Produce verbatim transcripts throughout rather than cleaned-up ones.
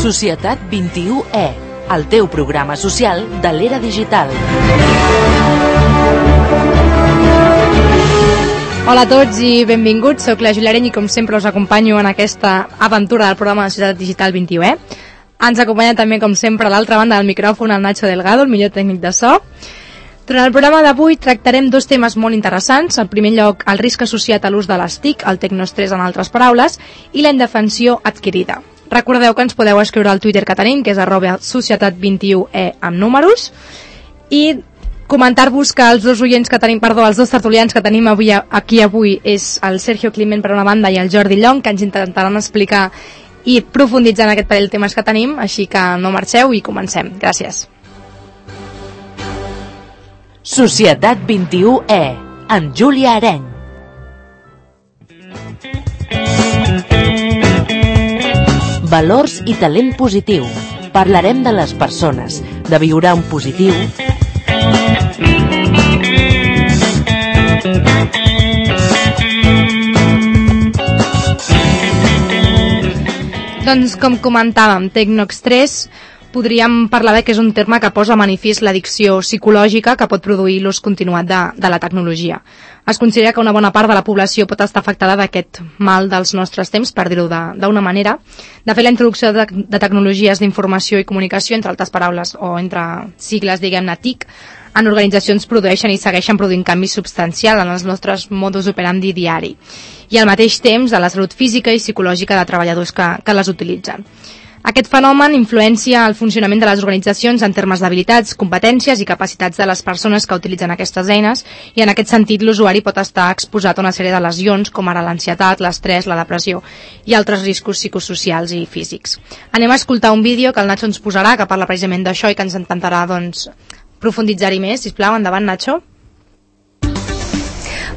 Societat vint-i-u E, el teu programa social de l'era digital. Hola a tots i benvinguts, soc la Júlia Areny i com sempre us acompanyo en aquesta aventura del programa de Societat Digital vint-i-u E. Ens acompanya també, com sempre, a l'altra banda del micròfon el Nacho Delgado, el millor tècnic de so. Durant el programa d'avui tractarem dos temes molt interessants. En primer lloc, el risc associat a l'ús de les T I C, el tecnoestrès en altres paraules, i la indefensió adquirida. Recordeu que ens podeu escriure al Twitter que tenim, que és arroba societat vint-i-u E amb números, i comentar-vos que els dos oients que tenim, perdó, els dos tertulians que tenim avui, aquí avui és el Sergio Climent per una banda i el Jordi Llong, que ens intentaran explicar i profunditzar en aquest parell de temes que tenim, així que no marxeu i comencem. Gràcies. Societat vint-i-u E, amb Júlia Areny. Valors i talent positiu. Parlarem de les persones, de viure en positiu. Doncs com comentàvem, tecnoestrès, podríem parlar de que és un terme que posa a manifest l'addicció psicològica que pot produir l'ús continuat de, de la tecnologia. Es considera que una bona part de la població pot estar afectada d'aquest mal dels nostres temps, per dir-ho d'una manera. De fet, la introducció de, de tecnologies d'informació i comunicació, entre altres paraules, o entre sigles, diguem-ne, T I C, en organitzacions produeixen i segueixen produint canvis substancials en els nostres modus operandi diari i al mateix temps a la salut física i psicològica de treballadors que, que les utilitzen. Aquest fenomen influencia el funcionament de les organitzacions en termes d'habilitats, competències i capacitats de les persones que utilitzen aquestes eines, i en aquest sentit l'usuari pot estar exposat a una sèrie de lesions com ara l'ansietat, l'estrès, la depressió i altres riscos psicosocials i físics. Anem a escoltar un vídeo que el Nacho ens posarà, que parla precisament d'això i que ens intentarà doncs, profunditzar-hi més. Sisplau, endavant, Nacho.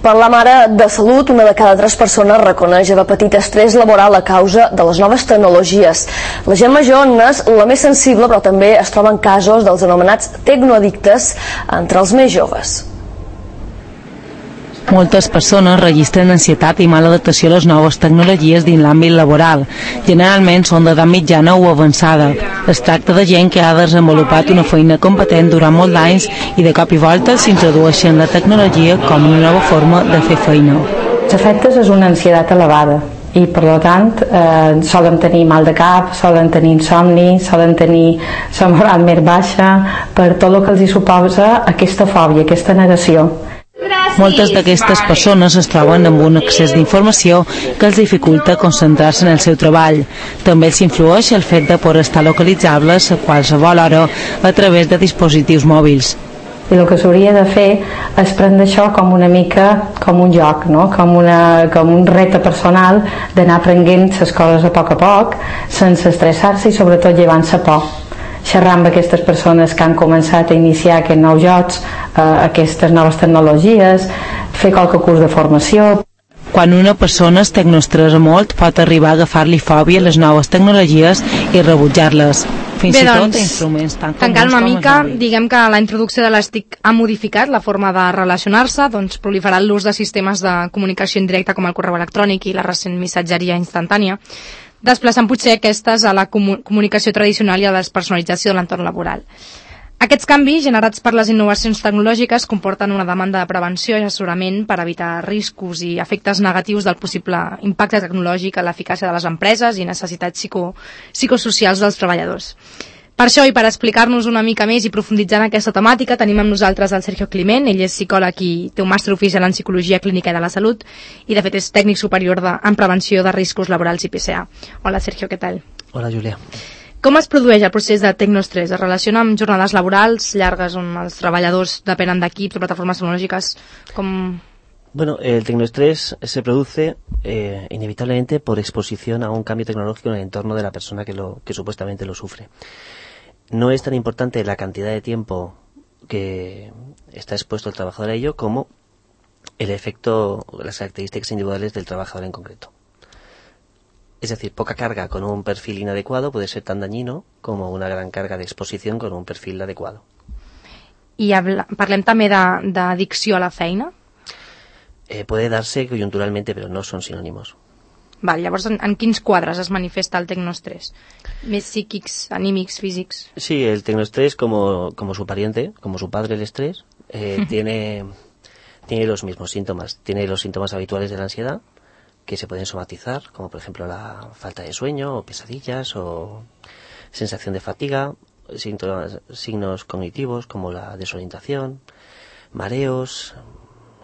Parlam ara de salut. Una de cada tres persones reconeix haver patit estrès laboral a causa de les noves tecnologies. La gent major n'és la més sensible, però també es troben casos dels anomenats tecnoaddictes entre els més joves. Moltes persones registren ansietat i mala adaptació a les noves tecnologies dins l'àmbit laboral. Generalment són d'edat mitjana o avançada. Es tracta de gent que ha desenvolupat una feina competent durant molts anys i de cop i volta s'introdueixen la tecnologia com una nova forma de fer feina. Els efectes és una ansietat elevada i per tant eh, solen tenir mal de cap, solen tenir insomni, solen tenir la moral més baixa per tot el que els hi suposa aquesta fòbia, aquesta negació. Moltes d'aquestes persones es troben amb un excés d'informació que els dificulta concentrar-se en el seu treball. També els influeix el fet de poder estar localitzables a qualsevol hora a través de dispositius mòbils. I el que s'hauria de fer és prendre això com una mica com un joc, no? com, una, com un repte personal d'anar aprenent les coses a poc a poc, sense estressar-se i sobretot llevant-se por. Xerrar amb aquestes persones que han començat a iniciar aquests nous jocs, eh, aquestes noves tecnologies, fer qualque curs de formació. Quan una persona es tecnoestressa molt, pot arribar a agafar-li fòbia a les noves tecnologies i rebutjar-les. Fins Bé, i tot doncs, instruments tan tancant comuns una com mica, els diguem que la introducció de les T I C ha modificat la forma de relacionar-se, doncs proliferant l'ús de sistemes de comunicació indirecta com el correu electrònic i la recent missatgeria instantània, desplaçant potser aquestes a la comunicació tradicional i a la despersonalització de l'entorn laboral. Aquests canvis, generats per les innovacions tecnològiques, comporten una demanda de prevenció i assessorament per evitar riscos i efectes negatius del possible impacte tecnològic a l'eficàcia de les empreses i necessitats psico, psicosocials dels treballadors. Per això i per explicar-nos una mica més i profunditzar en aquesta temàtica, tenim amb nosaltres el Sergio Climent. Ell és psicòleg i té un màster oficial en Psicologia Clínica i de la Salut i de fet és tècnic superior de, en prevenció de riscos laborals i P C A. Hola Sergio, què tal? Hola Júlia. Com es produeix el procés de tecnoestrès? Es relaciona amb jornades laborals llargues on els treballadors depenen d'equips o plataformes tecnològiques? Com... Bueno, el tecnoestrés se produce eh, inevitablemente por exposición a un cambio tecnológico en el entorno de la persona que, lo, que supuestamente lo sufre. No es tan importante la cantidad de tiempo que está expuesto el trabajador a ello como el efecto, las características individuales del trabajador en concreto. Es decir, poca carga con un perfil inadecuado puede ser tan dañino como una gran carga de exposición con un perfil adecuado. I habla, parlem també d'addicció a la feina? Eh, puede darse coyunturalmente, pero no son sinónimos. Val, llavors, en, en quins quadres es manifesta el tecnoestrés? ¿Més psíquics, anímics, físics? Sí, el tecnoestrés, como, como su pariente, como su padre el estrés, eh, tiene, tiene los mismos síntomas. Tiene los síntomas habituales de la ansiedad, que se pueden somatizar, como por ejemplo la falta de sueño, o pesadillas, o sensación de fatiga, síntomas, signos cognitivos como la desorientación, mareos,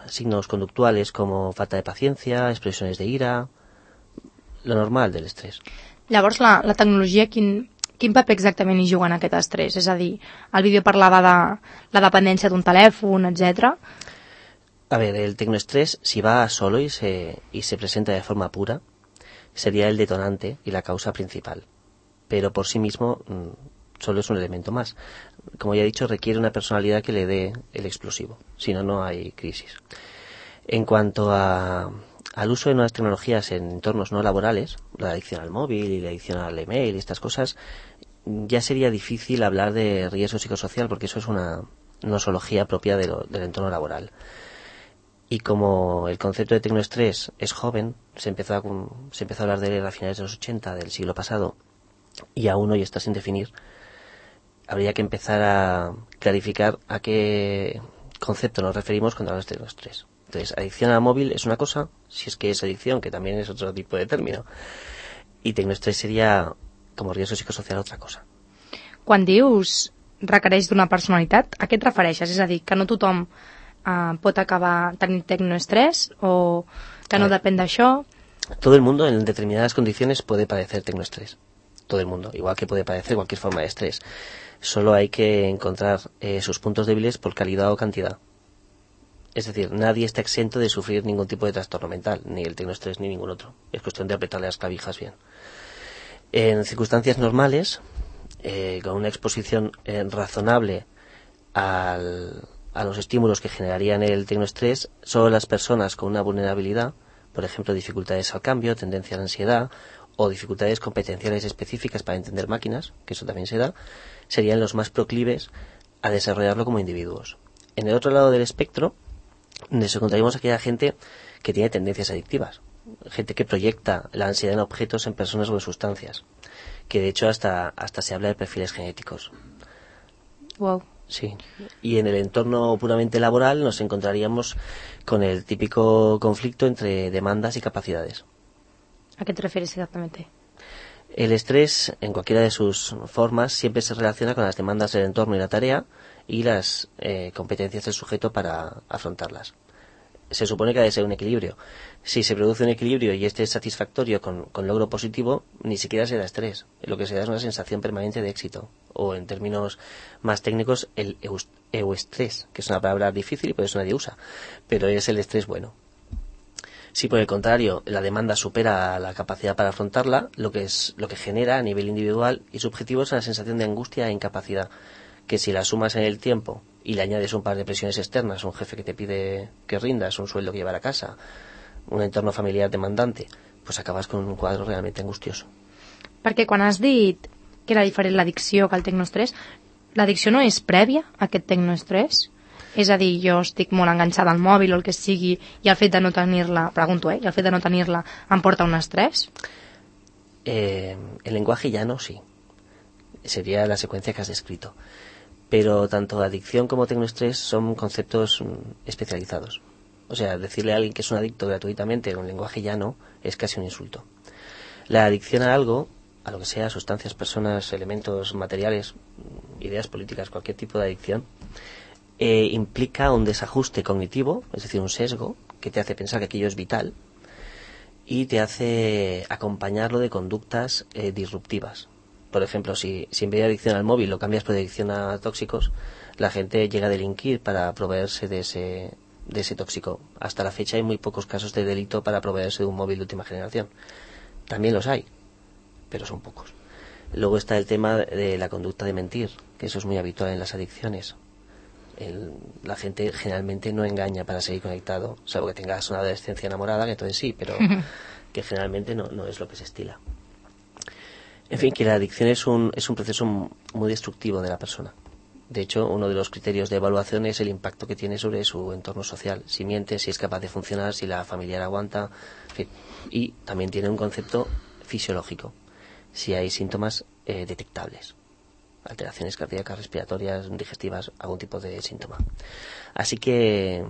signos conductuales como falta de paciencia, expresiones de ira, lo normal del estrès. Llavors, la, la tecnologia, quin, quin paper exactament hi juga en aquest estrès? És a dir, el vídeo parlava de la dependència d'un telèfon, etcètera. A ver, el tecnoestrés, si va solo y se, y se presenta de forma pura, sería el detonante y la causa principal. Pero por sí mismo solo es un elemento más. Como ya he dicho, requiere una personalidad que le dé el explosivo. Si no, no hay crisis. En cuanto a, al uso de nuevas tecnologías en entornos no laborales, la adicción al móvil y la adicción al email y estas cosas, ya sería difícil hablar de riesgo psicosocial porque eso es una nosología propia de lo, del entorno laboral. Y como el concepto de tecnoestrés es joven, se empezó a, se empezó a hablar de él a finales de los ochenta del siglo pasado y aún hoy está sin definir, habría que empezar a clarificar a qué concepto nos referimos cuando hablamos de tecnoestrés. Entonces, adicción al móvil es una cosa, si es que es adicción, que también es otro tipo de término, y tecnoestrés sería, como riesgo psicosocial, otra cosa. Quan dius requereix d'una personalitat, a què et refereixes? És a dir, que no tothom Uh, pot acabar tenint tecnoestrés o que no depèn d'això? Todo el mundo en determinadas condiciones puede padecer tecnoestrés. Todo el mundo, igual que puede padecer cualquier forma de estrés. Solo hay que encontrar eh, sus puntos débiles por calidad o cantidad. Es decir, nadie está exento de sufrir ningún tipo de trastorno mental, ni el tecnoestrés ni ningún otro. Es cuestión de apretarle las clavijas bien. En circunstancias normales, eh, con una exposición eh, razonable al a los estímulos que generarían el tecnoestrés, solo las personas con una vulnerabilidad, por ejemplo, dificultades al cambio, tendencia a la ansiedad o dificultades competenciales específicas para entender máquinas, que eso también se da, serían los más proclives a desarrollarlo como individuos. En el otro lado del espectro, nos encontraríamos aquella gente que tiene tendencias adictivas, gente que proyecta la ansiedad en objetos, en personas o en sustancias, que de hecho hasta, hasta se habla de perfiles genéticos. Wow. Sí, y en el entorno puramente laboral nos encontraríamos con el típico conflicto entre demandas y capacidades. ¿A qué te refieres exactamente? El estrés, en cualquiera de sus formas, siempre se relaciona con las demandas del entorno y la tarea y las eh, competencias del sujeto para afrontarlas. Se supone que ha de ser un equilibrio. Si se produce un equilibrio y este es satisfactorio con, con logro positivo, ni siquiera se da estrés. Lo que se da es una sensación permanente de éxito. O en términos más técnicos, el euestrés, que es una palabra difícil y por eso nadie usa, pero es el estrés bueno. Si por el contrario la demanda supera la capacidad para afrontarla, lo que es lo que genera a nivel individual y subjetivo es una sensación de angustia e incapacidad, que si la sumas en el tiempo y le añades un par de presiones externas, un jefe que te pide que rindas, un sueldo que llevar a casa, un entorno familiar demandante, pues acabas con un quadre realment angustioso. Perquè quan has dit que era diferent l'addicció que el tecnoestrès, l'addicció no és prèvia a aquest tecnoestrès? És a dir, jo estic molt enganxada al mòbil o el que sigui i el fet de no tenir-la, pregunto, eh, i el fet de no tenir-la em porta un estrès? Eh, el lenguaje llano sí, sería la secuencia que has descrito. Pero tanto adicción como tecnoestrés son conceptos especializados. O sea, decirle a alguien que es un adicto gratuitamente en un lenguaje llano es casi un insulto. La adicción a algo, a lo que sea, sustancias, personas, elementos materiales, ideas políticas, cualquier tipo de adicción, eh, implica un desajuste cognitivo, es decir, un sesgo, que te hace pensar que aquello es vital y te hace acompañarlo de conductas eh, disruptivas. Por ejemplo, si, si en vez de adicción al móvil lo cambias por adicción a tóxicos, la gente llega a delinquir para proveerse de ese, de ese tóxico. Hasta la fecha hay muy pocos casos de delito para proveerse de un móvil de última generación. También los hay, pero son pocos. Luego está el tema de la conducta de mentir, que eso es muy habitual en las adicciones. El, la gente generalmente no engaña para seguir conectado, salvo que tengas una adolescencia enamorada, que entonces sí, pero que generalmente no, no es lo que se estila. En fin, que la adicción es un, es un proceso muy destructivo de la persona. De hecho, uno de los criterios de evaluación es el impacto que tiene sobre su entorno social. Si miente, si es capaz de funcionar, si la familiar aguanta, en fin. Y también tiene un concepto fisiológico, si hay síntomas eh, detectables, alteraciones cardíacas, respiratorias, digestivas, algún tipo de síntoma. Así que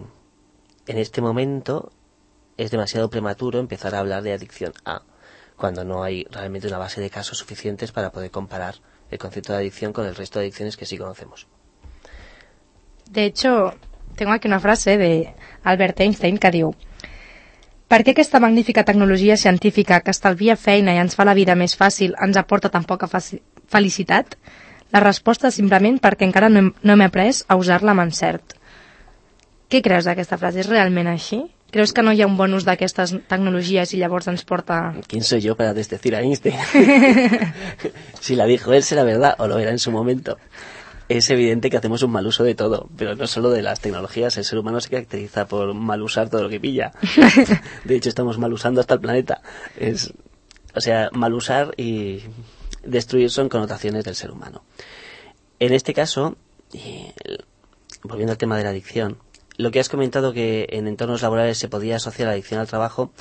en este momento es demasiado prematuro empezar a hablar de adicción A, cuando no hay realmente una base de casos suficientes para poder comparar el concepto de adicción con el resto de adicciones que sí conocemos. De hecho, tengo aquí una frase de Albert Einstein que diu: per què aquesta magnífica tecnologia científica que estalvia feina i ens fa la vida més fàcil ens aporta tan poca felicitat? La resposta és simplement perquè encara no hem, no hem après a usar-la amb encert. Què creus d'aquesta frase? És realment així? ¿Creus que no hi ha un bon ús d'aquestes tecnologies y llavors ens porta...? ¿Quién soy yo para desdecir a Einstein? Si la dijo él, será verdad, o lo era en su momento. Es evidente que hacemos un mal uso de todo, pero no solo de las tecnologías. El ser humano se caracteriza por mal usar todo lo que pilla. De hecho, estamos mal usando hasta el planeta. Es, o sea, mal usar y destruir son connotaciones del ser humano. En este caso, y, volviendo al tema de la adicción, lo que has comentado, que en entornos laborales se podía asociar la adicción al trabajo,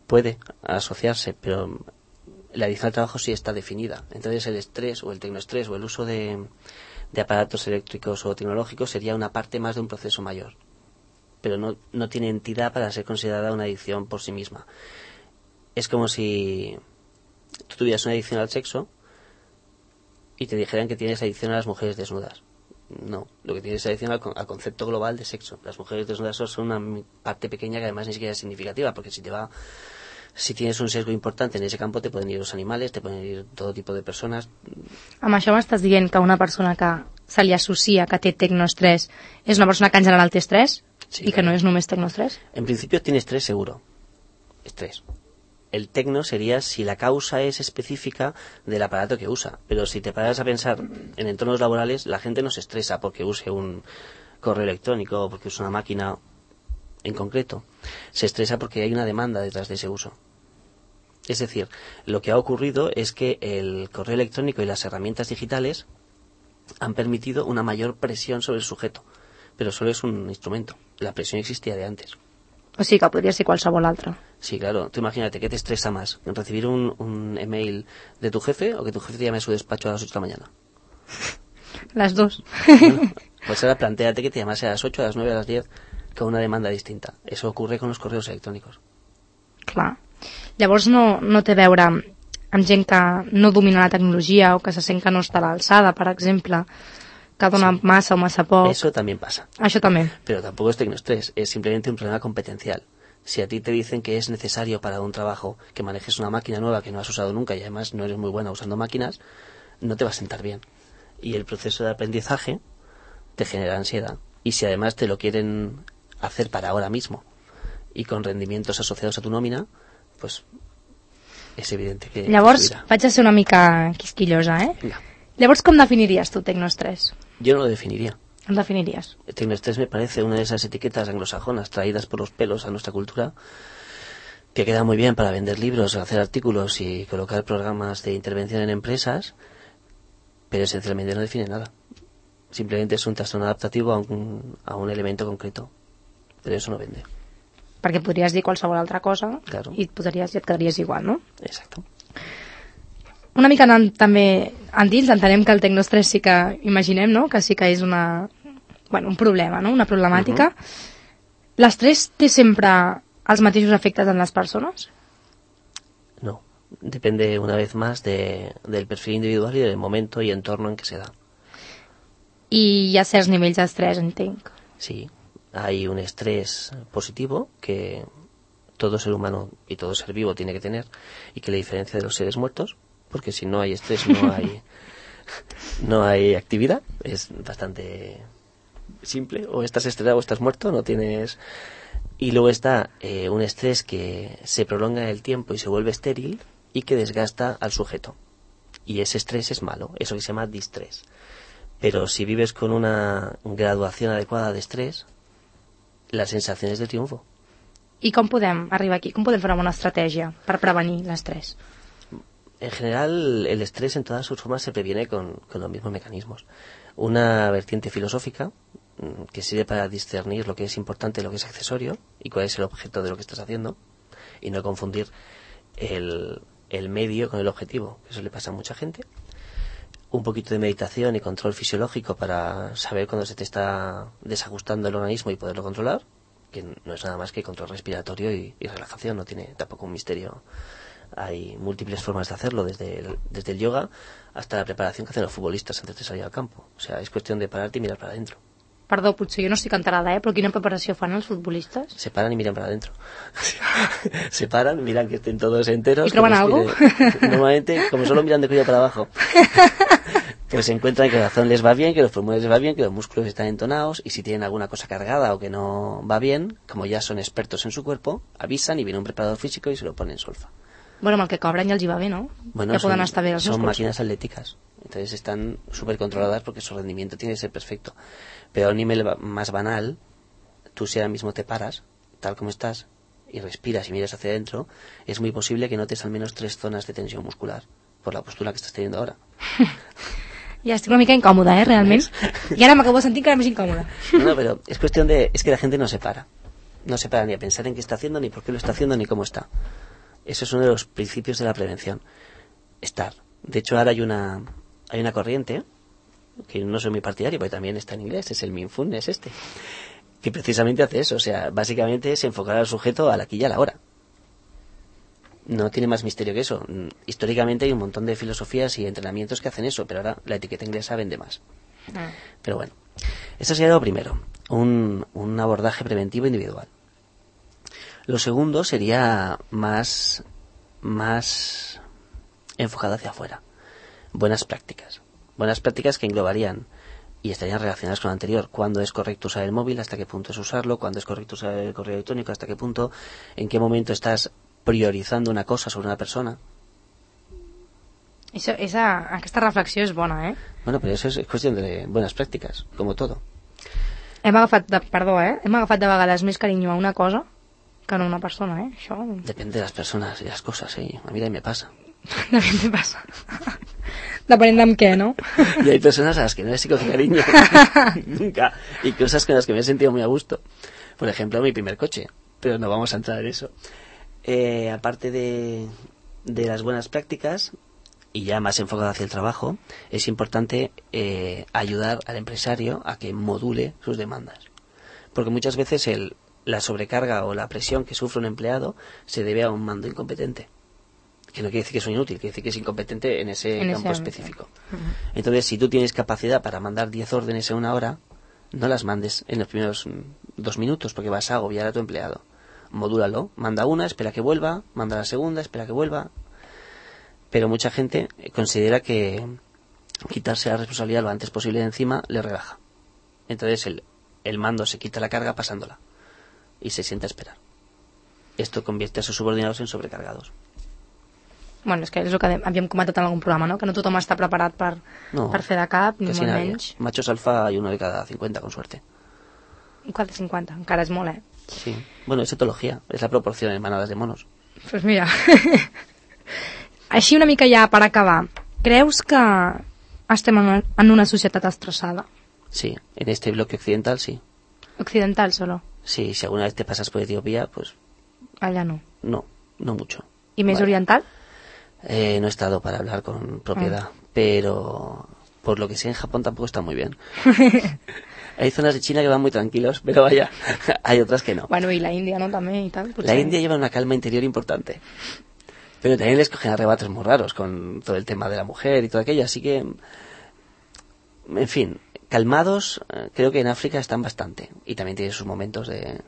puede asociarse, pero la adicción al trabajo sí está definida. Entonces el estrés o el tecnoestrés o el uso de, de aparatos eléctricos o tecnológicos sería una parte más de un proceso mayor, pero no, no tiene entidad para ser considerada una adicción por sí misma. Es como si tú tuvieras una adicción al sexo y te dijeran que tienes adicción a las mujeres desnudas. No, lo que tienes es adicción al, al concepto global de sexo. Las mujeres desnudas son una parte pequeña que además ni siquiera es significativa, porque si te va, si tienes un sesgo importante en ese campo, te pueden ir los animales, te pueden ir todo tipo de personas. Amb això m'estàs dient que una persona que se li associa que té tecnoestrès és una persona que en general té estrès? Sí, i que no és només tecnoestrès? En principio tiene estrés seguro. Estrés. El tecno sería si la causa es específica del aparato que usa. Pero si te paras a pensar en entornos laborales, la gente no se estresa porque use un correo electrónico o porque use una máquina en concreto. Se estresa porque hay una demanda detrás de ese uso. Es decir, lo que ha ocurrido es que el correo electrónico y las herramientas digitales han permitido una mayor presión sobre el sujeto. Pero solo es un instrumento. La presión existía de antes. O sigui que podria ser qualsevol altre. Sí, claro. Tú imagínate, ¿qué te estresa más? ¿Recibir un, un email de tu jefe o que tu jefe te llame a su despacho a las ocho de la mañana? Las dos. Bueno, pues ahora plantéate que te llamase a las ocho, a las nueve, a las diez, con una demanda distinta. Eso ocurre con los correos electrónicos. Clar. Llavors no, no té a veure amb gent que no domina la tecnologia o que se sent que no està a l'alçada, per exemple, que dona sí. massa o massa poc. Eso también pasa. Això també. Pero tampoco es tecnoestrés, es simplemente un problema competencial. Si a ti te dicen que es necesario para un trabajo que manejes una máquina nueva que no has usado nunca y además no eres muy buena usando máquinas, no te va a sentar bien. Y el proceso de aprendizaje te genera ansiedad. Y si además te lo quieren hacer para ahora mismo y con rendimientos asociados a tu nómina, pues és evident que... Llavors, vaig a ser una mica quisquillosa, eh? Venga. Llavors, com definiries tu tecnoestrés? Yo no lo definiría. ¿Lo definirías? El tecnoestrés me parece una de esas etiquetas anglosajonas traídas por los pelos a nuestra cultura, que queda muy bien para vender libros, hacer artículos y colocar programas de intervención en empresas, pero esencialmente no define nada. Simplemente es un trastorno adaptativo a un, a un elemento concreto, pero eso no vende. Perquè podries dir qualsevol altra cosa, claro. i, et posaries, i et quedaries igual, no? Exacto. Una mica anant també endins, entenem que el tecnoestrès sí que imaginem, no?, que sí que és una, bueno, un problema, no?, una problemàtica. Uh-huh. L'estrès té sempre els mateixos efectes en les persones? No, depende una vez más de, del perfil individual y del momento y entorno en que se da. I hi ha certs nivells d'estrès, entenc. Sí, hay un estrés positivo que todo ser humano y todo ser vivo tiene que tener y que le diferencia de los seres muertos, porque si no hay estrés no hay no hay actividad. Es bastante simple, o estás estresado o estás muerto, no tienes. Y luego está eh, un estrés que se prolonga en el tiempo y se vuelve estéril y que desgasta al sujeto, y ese estrés es malo, eso que se llama distrés. Pero si vives con una graduación adecuada de estrés, la sensación es de triunfo. I com podem arribar aquí? Com podem fer una bona estratègia per prevenir l'estrès? En general, el estrés en todas sus formas se previene con, con los mismos mecanismos. Una vertiente filosófica que sirve para discernir lo que es importante y lo que es accesorio y cuál es el objeto de lo que estás haciendo y no confundir el, el medio con el objetivo, que eso le pasa a mucha gente. Un poquito de meditación y control fisiológico para saber cuándo se te está desajustando el organismo y poderlo controlar, que no es nada más que control respiratorio y, y relajación, no tiene tampoco un misterio. Hay múltiples formas de hacerlo, desde el, desde el yoga hasta la preparación que hacen los futbolistas antes de salir al campo. O sea, es cuestión de pararte y mirar para adentro. Perdó, potser jo no estic enterada, eh? Però quina preparació fan els futbolistes? Se paran y miran para adentro. Se paran, miran que estén todos enteros. ¿Y troban algo? Normalmente, como solo miran de cuello para abajo, pues se encuentran que el corazón les va bien, que los pulmones les va bien, que los músculos están entonados, y si tienen alguna cosa cargada o que no va bien, como ya son expertos en su cuerpo, avisan y viene un preparador físico y se lo ponen en solfa. Bueno, amb el que cobren ja els hi va bé, ¿no? Bueno, ja son, poden estar bé els son músculs. máquinas atléticas, entonces están súper controladas porque su rendimiento tiene que ser perfecto. Pero a un nivel más banal, tú si ahora mismo te paras, tal como estás, y respiras y miras hacia adentro, es muy posible que notes al menos tres zonas de tensión muscular por la postura que estás teniendo ahora. Ja estic una mica incòmoda, eh, realment. I ara m'acabo sentint encara més incòmoda. No, no, pero es cuestión de... Es que la gente no se para. No se para ni a pensar en qué está haciendo, ni por qué lo está haciendo, ni cómo está. Eso es uno de los principios de la prevención. Estar. De hecho, ahora hay una hay una corriente, que no soy muy partidario, porque también está en inglés, es el mindfulness este, que precisamente hace eso. O sea, básicamente es enfocar al sujeto al aquí y a la hora. No tiene más misterio que eso. Históricamente hay un montón de filosofías y entrenamientos que hacen eso, pero ahora la etiqueta inglesa vende más. Ah. Pero bueno, eso sería lo primero, un, un abordaje preventivo individual. Lo segundo sería más, más enfocado hacia afuera. Buenas prácticas. Buenas prácticas que englobarían y estarían relacionadas con lo anterior. ¿Cuándo es correcto usar el móvil? ¿Hasta qué punto es usarlo? ¿Cuándo es correcto usar el correo electrónico? ¿Hasta qué punto? ¿En qué momento estás priorizando una cosa sobre una persona? Això, esa, aquesta reflexió és bona, eh? Bueno, pero eso es cuestión de buenas prácticas, como todo. Hem agafat, de, perdó, eh? Hem agafat de vegades més carinyo a una cosa que no a una persona, eh? Això... Depende de las personas y las cosas, ¿eh? A mí también me pasa. También te pasa. Depenent amb què, ¿no? Y hay personas a las que no les he cogido cariño. Nunca. Y cosas con las que me he sentido muy a gusto. Por ejemplo, mi primer coche. Pero no vamos a entrar en eso. Eh, aparte de, de las buenas prácticas, y ya más enfocado hacia el trabajo, es importante eh, ayudar al empresario a que module sus demandas. Porque muchas veces el, la sobrecarga o la presión que sufre un empleado se debe a un mando incompetente. Que no quiere decir que es un inútil, quiere decir que es incompetente en ese en campo ese específico. Uh-huh. Entonces, si tú tienes capacidad para mandar diez órdenes en una hora, no las mandes en los primeros dos minutos porque vas a agobiar a tu empleado. Modúlalo, manda una, espera que vuelva, manda la segunda, espera que vuelva. Pero mucha gente considera que quitarse la responsabilidad lo antes posible de encima le relaja. Entonces el, el mando se quita la carga pasándola y se sienta a esperar. Esto convierte a sus subordinados en sobrecargados. Bueno, és que és el que havíem comentat en algun programa, no? Que no tothom està preparat per, no, per fer de cap, ni molt menys. Machos alfa hay uno de cada cincuenta, con suerte. Cada cincuenta, encara és molt, eh? Sí. Bueno, es etología, es la proporción en manadas de monos. Pues mira... Així una mica ja per acabar, creus que estem en una, en una societat estressada? Sí, en este bloque occidental sí. ¿Occidental solo? Sí, si alguna vez te pasas por Etiopía, pues... Allá no. No, no mucho. ¿Y más vale. oriental? Eh, no he estado para hablar con propiedad, ah. pero por lo que sé en Japón tampoco está muy bien. Hay zonas de China que van muy tranquilos, pero vaya, hay otras que no. Bueno, y la India, ¿no? También y tal. Pues la sí. India lleva una calma interior importante. Pero también les cogen arrebatos muy raros con todo el tema de la mujer y todo aquello, así que, en fin, calmados, creo que en África están bastante, y también tienen sus momentos de...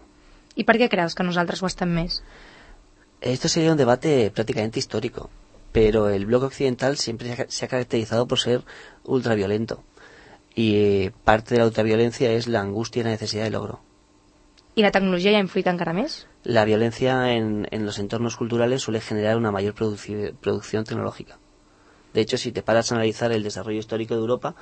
¿Y por qué crees que nosaltres ho estem més? Esto sería un debate prácticamente histórico, pero el bloque occidental siempre se ha caracterizado por ser ultraviolento, y parte de la ultraviolencia es la angustia y la necesidad de logro. ¿Y la tecnología ya influye encara més? La violencia en, en los entornos culturales suele generar una mayor produci- producción tecnológica. De hecho, si te paras a analizar el desarrollo histórico de Europa,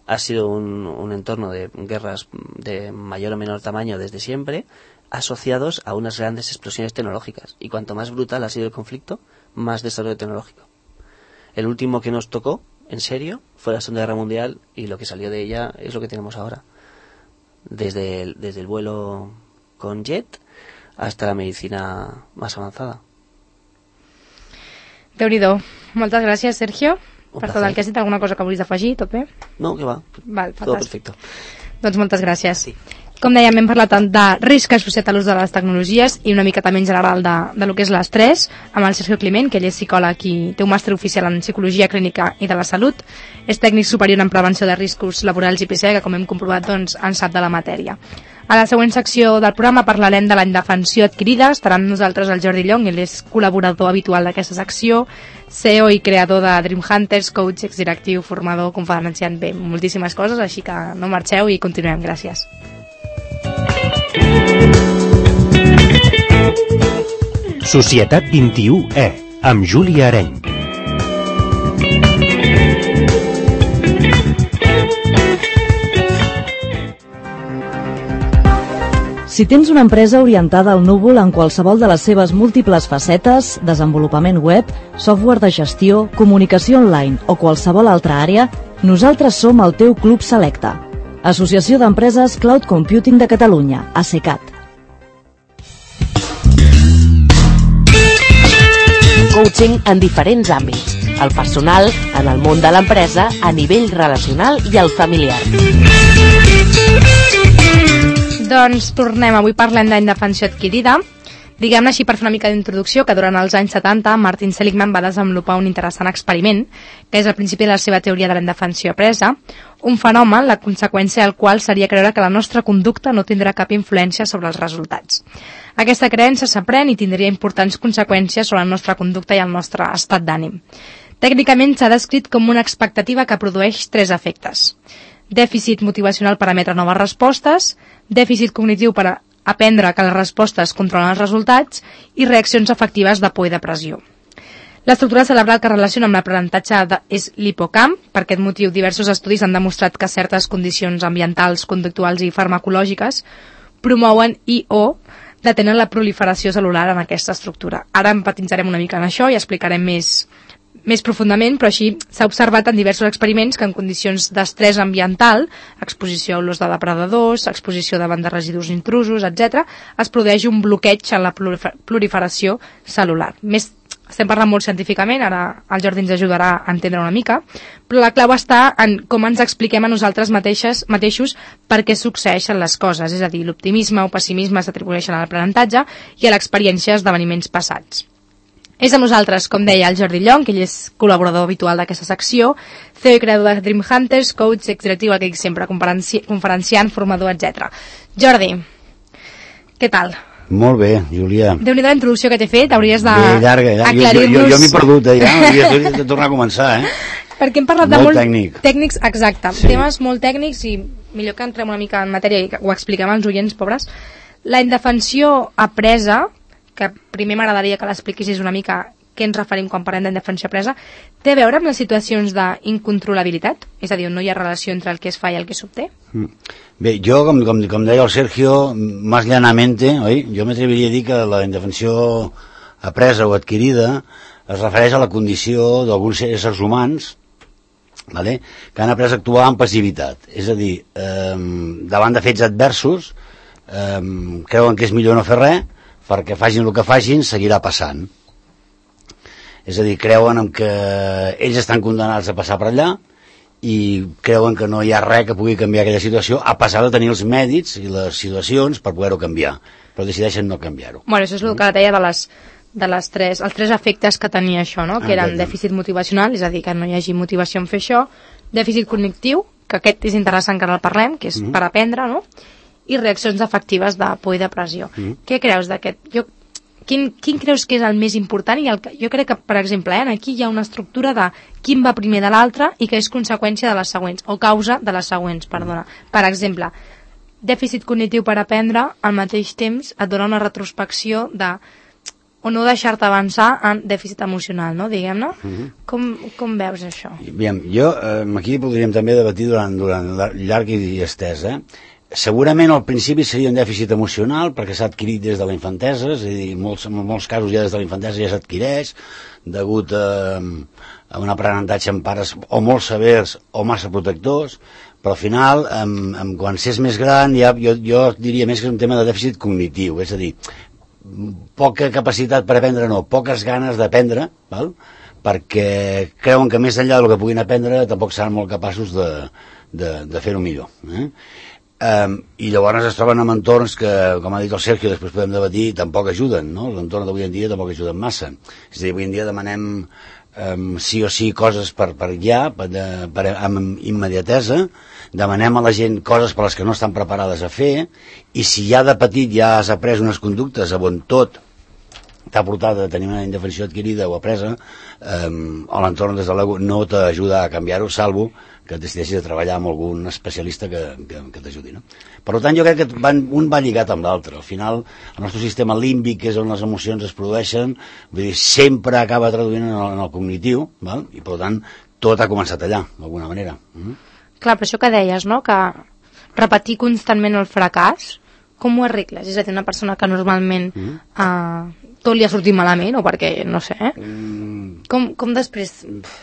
ha sido un, un entorno de guerras de mayor o menor tamaño desde siempre, asociados a unas grandes explosiones tecnológicas. Y cuanto más brutal ha sido el conflicto, más desarrollo tecnológico. el último que nos tocó, en serio, fue la Segunda Guerra Mundial, y lo que salió de ella es lo que tenemos ahora. Desde el, desde el vuelo con jet hasta la medicina más avanzada. Déu-n'hi-do. Moltes gràcies, Sergio, Un per placer. tot el que has dit. Alguna cosa que vulguis afegir? Tot bé? No, que va. Val, Todo fantàstic. perfecto. Doncs moltes gràcies. Sí. Com dèiem, hem parlat tant de risc associat a l'ús de les tecnologies i una mica també en general de, de lo que és l'estrès, amb el Sergio Climent, que ell és psicòleg i té un màster oficial en Psicologia Clínica i de la Salut. És tècnic superior en prevenció de riscos laborals i P C, que com hem comprovat doncs, en sap de la matèria. A la següent secció del programa parlarem de la indefensió adquirida. Estarà amb nosaltres el Jordi Llong, ell és col·laborador habitual d'aquesta secció, C E O i creador de Dream Hunters, coach, exdirectiu, formador, conferenciant, bé, moltíssimes coses, així que no marxeu i continuem. Gràcies. Societat vint-i-u E, amb Júlia Areny. Si tens una empresa orientada al núvol en qualsevol de les seves múltiples facetes, desenvolupament web, software de gestió, comunicació online o qualsevol altra àrea, nosaltres som el teu club selecte. Associació d'Empreses Cloud Computing de Catalunya, ASECAT. Coaching en diferents àmbits. El personal, en el món de l'empresa, a nivell relacional i el familiar. Doncs tornem, avui parlem d'indefensió adquirida. Diguem-ne així per fer una mica d'introducció que durant els anys setanta Martin Seligman va desenvolupar un interessant experiment, que és el principi de la seva teoria de la indefensió apresa, un fenomen, la conseqüència del qual seria creure que la nostra conducta no tindrà cap influència sobre els resultats. Aquesta creença s'aprèn i tindria importants conseqüències sobre la nostra conducta i el nostre estat d'ànim. Tècnicament s'ha descrit com una expectativa que produeix tres efectes: dèficit motivacional per emetre noves respostes, dèficit cognitiu per aprendre que les respostes controlen els resultats i reaccions afectives de por i depressió. L'estructura cerebral que relaciona amb l'aprenentatge és l'hipocamp. Per aquest motiu, diversos estudis han demostrat que certes condicions ambientals, conductuals i farmacològiques promouen i o detenen la proliferació celular en aquesta estructura. Ara empatitzarem una mica en això i explicarem més més profundament, però així s'ha observat en diversos experiments que en condicions d'estrès ambiental, exposició a olors de depredadors, exposició davant de residus intrusos, etcètera, es produeix un bloqueig en la proliferació celular. Més, estem parlant molt científicament, ara el Jordi ens ajudarà a entendre una mica, però la clau està en com ens expliquem a nosaltres mateixes, mateixos per què succeeixen les coses, és a dir, l'optimisme o pessimisme s'atribueixen a l'aprenentatge i a l'experiència d'esdeveniments passats. És amb nosaltres, com deia el Jordi Llong, que ell és col·laborador habitual d'aquesta secció, C E O i creador de Dream Hunters, coach, exdirectiu, el que dic sempre, conferenci conferenciant, formador, etcètera. Jordi, què tal? Molt bé, Júlia. Déu-n'hi-do la introducció que t'he fet, hauries Bé, llarga, llarga. d'aclarir-nos... Jo, jo, jo m'he perdut, eh, ja, hauria de tornar a començar, eh? Perquè hem parlat molt de molt tècnic. tècnics, exacte, Sí. temes molt tècnics i millor que entrem una mica en matèria i ho expliquem als oients, pobres. La indefensió apresa, que primer m'agradaria que l'expliquessis una mica què ens referim quan parlem d'indefensió apresa, té a veure amb les situacions d'incontrolabilitat? És a dir, on no hi ha relació entre el que es fa i el que s'obté? Bé, jo, com, com, com deia el Sergio, más llanamente, oi? Jo m'atreviria a dir que la indefensió apresa o adquirida es refereix a la condició d'alguns éssers humans, vale? Que han après a actuar amb passivitat. És a dir, eh, davant de fets adversos, eh, creuen que és millor no fer res, perquè facin el que facin, seguirà passant. És a dir, creuen que ells estan condemnats a passar per allà i creuen que no hi ha res que pugui canviar aquella situació, a pesar de tenir els mèdits i les situacions per poder-ho canviar, però decideixen no canviar-ho. Bueno, això és el que deia de les, de les tres, els tres efectes que tenia això, no? Que eren dèficit motivacional, és a dir, que no hi hagi motivació en fer això, dèficit cognitiu, que aquest és interessant que ara el parlem, que és mm. per aprendre, no? I reaccions afectives de por i depressió. Mm. Què creus d'aquest? Jo Quin, quin creus que és el més important? I el que, jo crec que, per exemple, eh, aquí hi ha una estructura de quin va primer de l'altre i que és conseqüència de les següents, o causa de les següents, perdona. Per exemple, dèficit cognitiu per aprendre, al mateix temps et dona una retrospecció de o no deixar-te avançar en dèficit emocional, no? Diguem-ne. Mm-hmm. com, com veus això? Bien, jo, eh, aquí podríem també debatir durant, durant llarg i estès, eh? segurament al principi seria un dèficit emocional perquè s'ha adquirit des de la infantesa, és a dir, en molts, en molts casos ja des de la infantesa ja s'adquireix degut a, a un aprenentatge amb pares o molt severs o massa protectors, però al final amb, amb, quan s'és més gran ja, jo, jo diria més que és un tema de dèficit cognitiu, és a dir, poca capacitat per aprendre, no, poques ganes d'aprendre, val? Perquè creuen que més enllà del que puguin aprendre tampoc seran molt capaços de, de, de fer-ho millor, eh? Um, i llavors es troben en entorns que, com ha dit el Sergio, després podem debatir, tampoc ajuden, no? L'entorn d'avui en dia tampoc ajuden massa. És a dir, avui en dia demanem um, sí o sí coses per, per ja, per, per, amb immediatesa, demanem a la gent coses per les que no estan preparades a fer, i si ja de petit ja has après unes conductes on tot t'ha portat a tenir una indefensió adquirida o apresa, um, o l'entorn des de l'ego no t'ajuda a canviar-ho, salvo que decideixis de treballar amb algun especialista que, que, que t'ajudi, no? Per tant, jo crec que van, un va lligat amb l'altre. Al final, el nostre sistema límbic, que és on les emocions es produeixen, vull dir, sempre acaba traduint en el, en el cognitiu, val? I per tant, tot ha començat allà, d'alguna manera. Mm? Clar, però això que deies, no?, que repetir constantment el fracàs, com ho arregles? És a dir, una persona que normalment mm. eh, tot li ha sortit malament, o perquè, no sé, eh? Mm. com, com després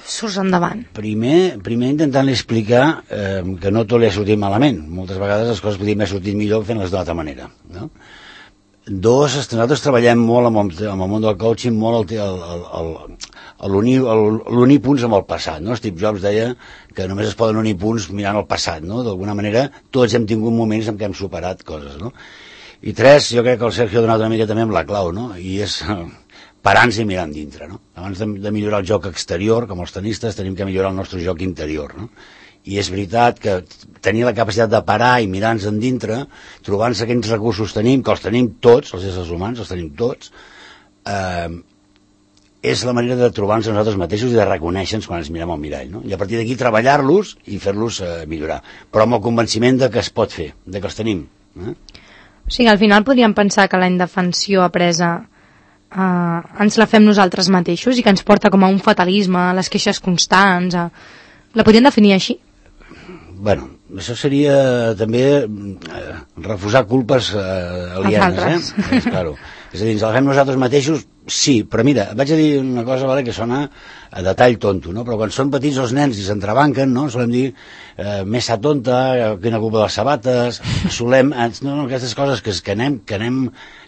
surts endavant? Primer, primer intentant explicar eh, que no tot li ha sortit malament. Moltes vegades les coses podrien haver sortit millor fent-les d'una altra manera, no? Dos, nosaltres treballem molt amb el, amb el món del coaching, molt el, el, el, el, l'unir punts amb el passat, no? Steve Jobs deia que només es poden unir punts mirant el passat, no? D'alguna manera tots hem tingut moments en què hem superat coses, no? I tres, jo crec que el Sergio ha donat una mica també amb la clau, no? I és parar-nos i mirant dintre, no? Abans de, de millorar el joc exterior, com els tenistes, tenim que millorar el nostre joc interior, no? I és veritat que tenir la capacitat de parar i mirar-nos en dintre, trobant-se aquells recursos tenim, que els tenim tots, els éssers humans, els tenim tots, eh, és la manera de trobar-nos a nosaltres mateixos i de reconèixer-nos quan ens mirem al mirall, no? I a partir d'aquí treballar-los i fer-los eh, millorar, però amb el convenciment de que es pot fer, de que els tenim, eh? O sigui, al final podríem pensar que la indefensió apresa eh, ens la fem nosaltres mateixos i que ens porta com a un fatalisme, a les queixes constants, a... la podríem definir així? Bueno, això seria també eh, refusar culpes eh, alienes, eh? És, claro. És a dir, ens la fem nosaltres mateixos, sí, però mira, vaig a dir una cosa, vale, que sona a detall tonto, no? Però quan són petits els nens i s'entrebanquen, no? Solem dir eh, messa tonta, quina culpa de les sabates, solem, no, no, aquestes coses que, que anem, que anem,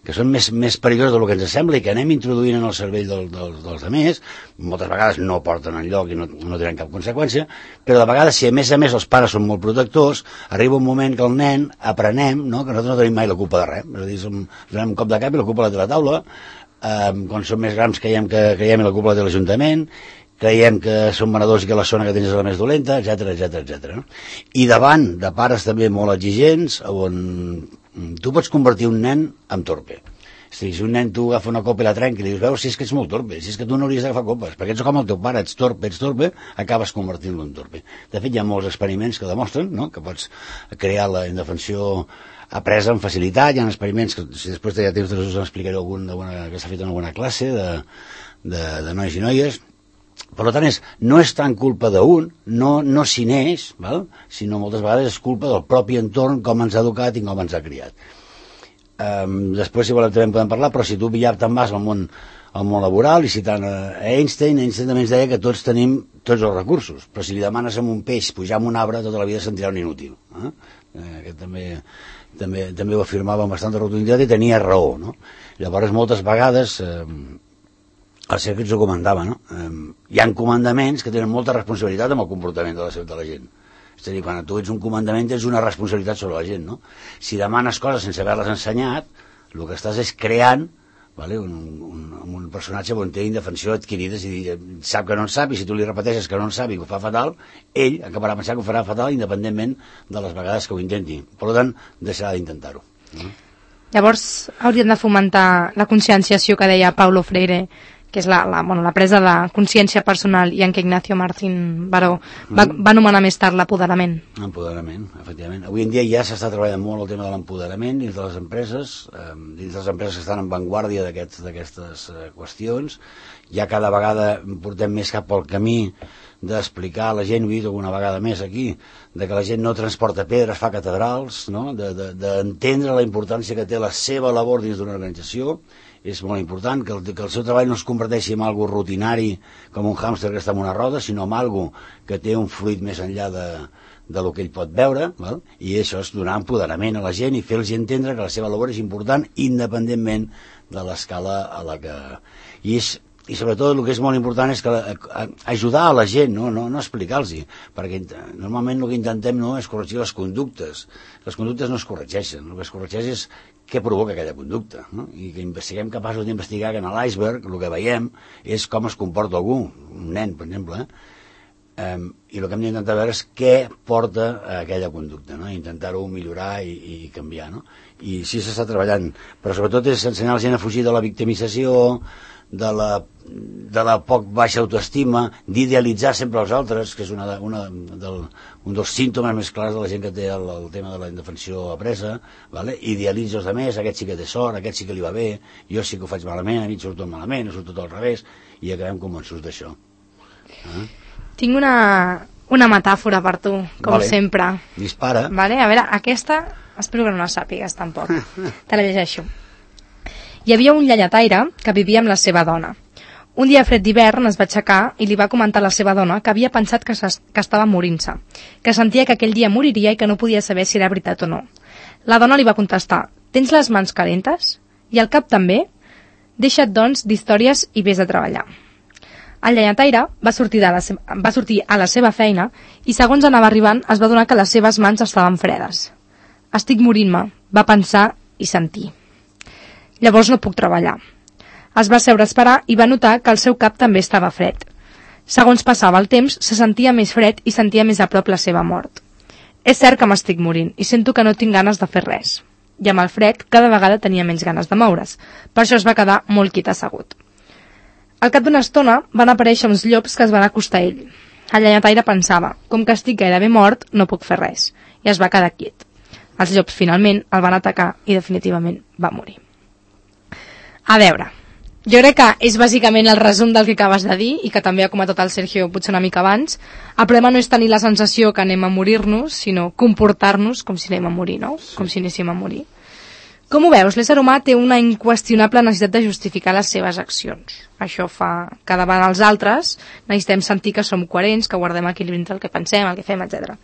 que són més, més perilloses del que ens sembla i que anem introduint en el cervell del, del, dels altres, moltes vegades no porten enlloc i no, no tenen cap conseqüència, però de vegades, si a més a més els pares són molt protectors, arriba un moment que el nen aprenem, no? Que nosaltres no tenim mai la culpa de res, és a dir, som, donem un cop de cap i la culpa la té la taula, eh, quan som més grans creiem que creiem la culpa la té l'Ajuntament, creiem que som venedors i que la zona que tens és la més dolenta, etcètera, etcètera, etcètera. I davant de pares també molt exigents, on tu pots convertir un nen en torpe. És a dir, si un nen tu agafa una copa i la trenca i li dius, veus, si és que ets molt torpe, si és que tu no hauries d'agafar copes, perquè ets com el teu pare, ets torpe, ets torpe, acabes convertint-lo en torpe. De fet, hi ha molts experiments que demostren, no?, que pots crear la indefensió apresa amb facilitat. Hi ha experiments que, si després hi ha temps, us explicaré algun que s'ha fet en alguna classe de, de, de nois i noies. Per tant, és, no és tant culpa d'un, no, no s'hi neix, val? Sinó moltes vegades és culpa del propi entorn, com ens ha educat i com ens ha criat. Um, després, si volem, també en podem parlar, però si tu ja te'n vas al món, al món laboral, i citant a Einstein, Einstein també ens deia que tots tenim tots els recursos, però si li demanes a un peix pujar en un arbre, tota la vida sentirà un inútil. Eh? Eh, aquest també, també, també ho afirmava amb bastanta rotunditat i tenia raó, no? Llavors, moltes vegades... Eh, el Sergi ens ho comentava, no? Eh, hi ha comandaments que tenen molta responsabilitat amb el comportament de la, de la gent. És a dir, quan tu ets un comandament tens una responsabilitat sobre la gent, no? Si demanes coses sense haver-les ensenyat, el que estàs és creant, vale, un, un, un personatge on té indefensió adquirida, és a dir, sap que no en sap, i si tu li repeteixes que no en sap i que ho fa fatal, ell acabarà pensant que ho farà fatal independentment de les vegades que ho intenti. Per tant, deixarà d'intentar-ho. No? Llavors, hauríem de fomentar la conscienciació que deia Paulo Freire, que és la, la, bueno, la presa de consciència personal i en què Ignacio Martín Baró va, va anomenar més tard l'apoderament. Empoderament, efectivament. Avui en dia ja s'està treballant molt el tema de l'empoderament dins de les empreses, eh, dins de les empreses que estan en vanguardia d'aquestes eh, qüestions. Ja cada vegada portem més cap al camí d'explicar a la gent, ho he dit alguna vegada més aquí, de que la gent no transporta pedres, fa catedrals, no? d'entendre de, de, la importància que té la seva labor dins d'una organització. És molt important que el, que el seu treball no es converteixi en algo rutinari com un hàmster que està en una roda, sinó en algo que té un fluid més enllà de, de lo que ell pot veure, val? I això és donar empoderament a la gent i fer-los entendre que la seva labor és important independentment de l'escala a la que... I és i sobretot el que és molt important és que a, a, ajudar a la gent, no, no, no explicar-los, perquè normalment el que intentem no és corregir les conductes. Les conductes no es corregeixen, el que es corregeix és què provoca aquella conducta, no? I que siguem capaços d'investigar que en l'iceberg el que veiem és com es comporta algú, un nen, per exemple, eh? Um, i el que hem d'intentar veure és què porta a aquella conducta, no? Intentar-ho millorar i, i canviar, no? I sí s'està treballant, però sobretot és ensenyar la gent a fugir de la victimització, de la, de la poc baixa autoestima, d'idealitzar sempre els altres, que és una, una del, un dels símptomes més clars de la gent que té el, el tema de la indefensió apresa, vale? Idealitza els altres, aquest sí que té sort, aquest sí que li va bé, jo sí que ho faig malament, a mi surt tot malament, surt tot al revés, i acabem convençuts d'això. Eh? Tinc una, una metàfora per tu, com vale. Sempre. Dispara. Vale? A veure, aquesta, espero que no la sàpigues tampoc. Te la llegeixo. Hi havia un llenyataire que vivia amb la seva dona. Un dia fred d'hivern es va aixecar i li va comentar a la seva dona que havia pensat que, que estava morint-se, que sentia que aquell dia moriria i que no podia saber si era veritat o no. La dona li va contestar: «Tens les mans calentes? I el cap també? Deixa't, doncs, d'històries i vés a treballar». El llenyataire va sortir, de la se... va sortir a la seva feina i segons anava arribant es va adonar que les seves mans estaven fredes. «Estic morint-me», va pensar i sentir. Llavors no puc treballar. Es va seure a esperar i va notar que el seu cap també estava fred. Segons passava el temps, se sentia més fred i sentia més a prop la seva mort. És cert que m'estic morint i sento que no tinc ganes de fer res. I amb el fred cada vegada tenia menys ganes de moure's. Per això es va quedar molt quiet assegut. Al cap d'una estona van aparèixer uns llops que es van acostar a ell. El llenyataire pensava: com que estic gairebé mort, no puc fer res. I es va quedar quiet. Els llops finalment el van atacar i definitivament va morir. A veure, jo crec que és bàsicament el resum del que acabes de dir i que també ha comentat el Sergio potser una mica abans. El problema no és tenir la sensació que anem a morir-nos, sinó comportar-nos com si anem a morir, no? Com si anéssim a morir. Com ho veus? L'ésser humà té una inqüestionable necessitat de justificar les seves accions. Això fa que davant els altres necessitem sentir que som coherents, que guardem equilibri entre el que pensem, el que fem, etcètera.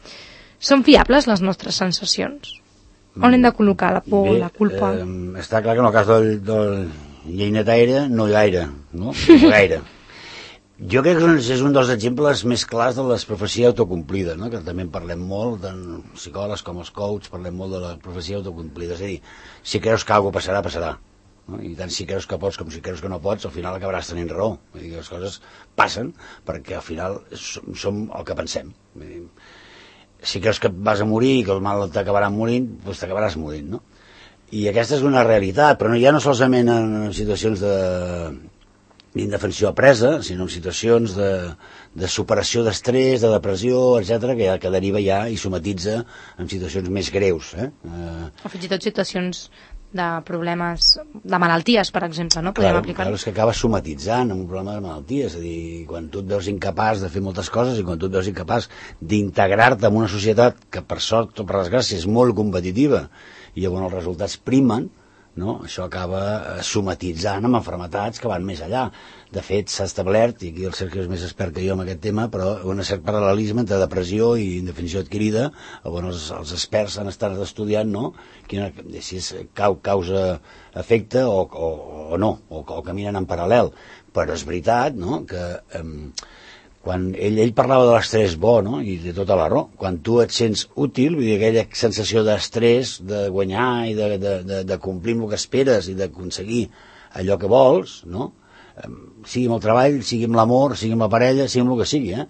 Són fiables les nostres sensacions? On hem de col·locar la por, Bé, la culpa? Eh, està clar que en el cas del... del... llenyataire no gaire, no? No gaire. Jo crec que és un dels exemples més clars de la profecia autocomplida, no? Que també en parlem molt, tant psicòlegs com els coaches, parlem molt de la profecia autocomplida. És a dir, si creus que alguna passarà, passarà. No? I tant si creus que pots com si creus que no pots, al final acabaràs tenint raó. Vull dir que les coses passen perquè al final som, som el que pensem. Vull dir, si creus que vas a morir i que el mal t'acabarà morint, doncs t'acabaràs morint, no? I aquesta és una realitat, però no, ja no solament en situacions de d'indefensió apresa, sinó en situacions de, de superació d'estrès, de depressió, etcètera, que, que deriva ja i somatitza en situacions més greus. Eh? Eh... O fins i tot situacions de problemes, de malalties, per exemple, no? Podem claro, aplicar. Claro, és que acaba somatitzant en un problema de malalties, és a dir, quan tu et veus incapaç de fer moltes coses i quan tu et veus incapaç d'integrar-te en una societat que per sort o per desgràcia és molt competitiva i llavors els resultats primen, no? Això acaba somatitzant amb malalties que van més allà. De fet, s'ha establert, i aquí el Sergio és més expert que jo en aquest tema, però un cert paral·lelisme entre depressió i indefensió adquirida. Llavors els, els experts han estat estudiant, no? Quina, si és cau, causa-efecte o, o, o no, o, o caminen en paral·lel. Però és veritat, no?, que... Eh, quan ell, ell parlava de l'estrès bo, no? I de tota la raó, quan tu et sents útil, vull dir, aquella sensació d'estrès, de guanyar i de, de, de, de complir amb el que esperes i d'aconseguir allò que vols, no? Sigui amb el treball, sigui amb l'amor, sigui amb la parella, sigui amb el que sigui, eh?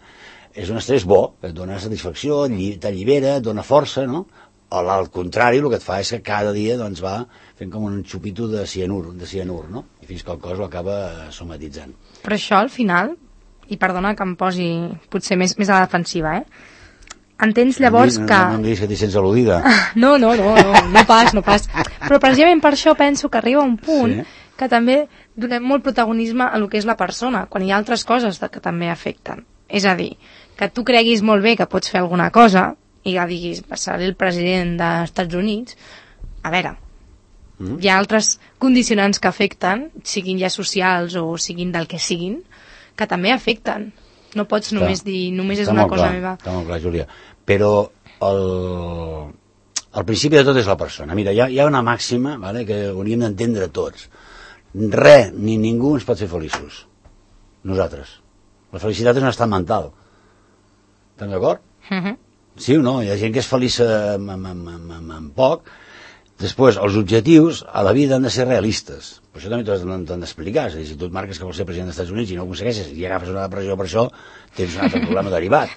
És un estrès bo, et dona satisfacció, t'allibera, et dona força, no? al contrari, el que et fa és que cada dia doncs, va fent com un xupito de cianur, de cianur, no? I fins que el cos ho acaba somatitzant. Però això, al final, i perdona que em posi potser més, més a la defensiva, eh? Entens llavors no, que... No, no em diguis que t'hi sents al·ludida. No, no, no, no, no pas, no pas. Però precisament per això penso que arriba un punt sí. que també donem molt protagonisme a lo que és la persona, quan hi ha altres coses que també afecten. És a dir, que tu creguis molt bé que pots fer alguna cosa i que diguis, seré el president dels Estats Units, a veure, mm. hi ha altres condicionants que afecten, siguin ja socials o siguin del que siguin, que també afecten. No pots clar. només dir, només és una cosa clar, meva. Està molt clar, Júlia. Però el, el principi de tot és la persona. Mira, hi ha, hi ha una màxima, vale, que hauríem d'entendre tots. Res ni ningú ens pot fer feliços. Nosaltres. La felicitat és un estat mental. Estem d'acord? Uh -huh. Sí o no? Hi ha gent que és feliç amb, amb, amb, amb, amb poc. Després, els objectius a la vida han de ser realistes. Per això també t'ho han d'explicar. És a dir, si tu et marques que vols ser president dels Estats Units i no ho aconsegueixes i agafes una depressió per això, tens un altre problema derivat.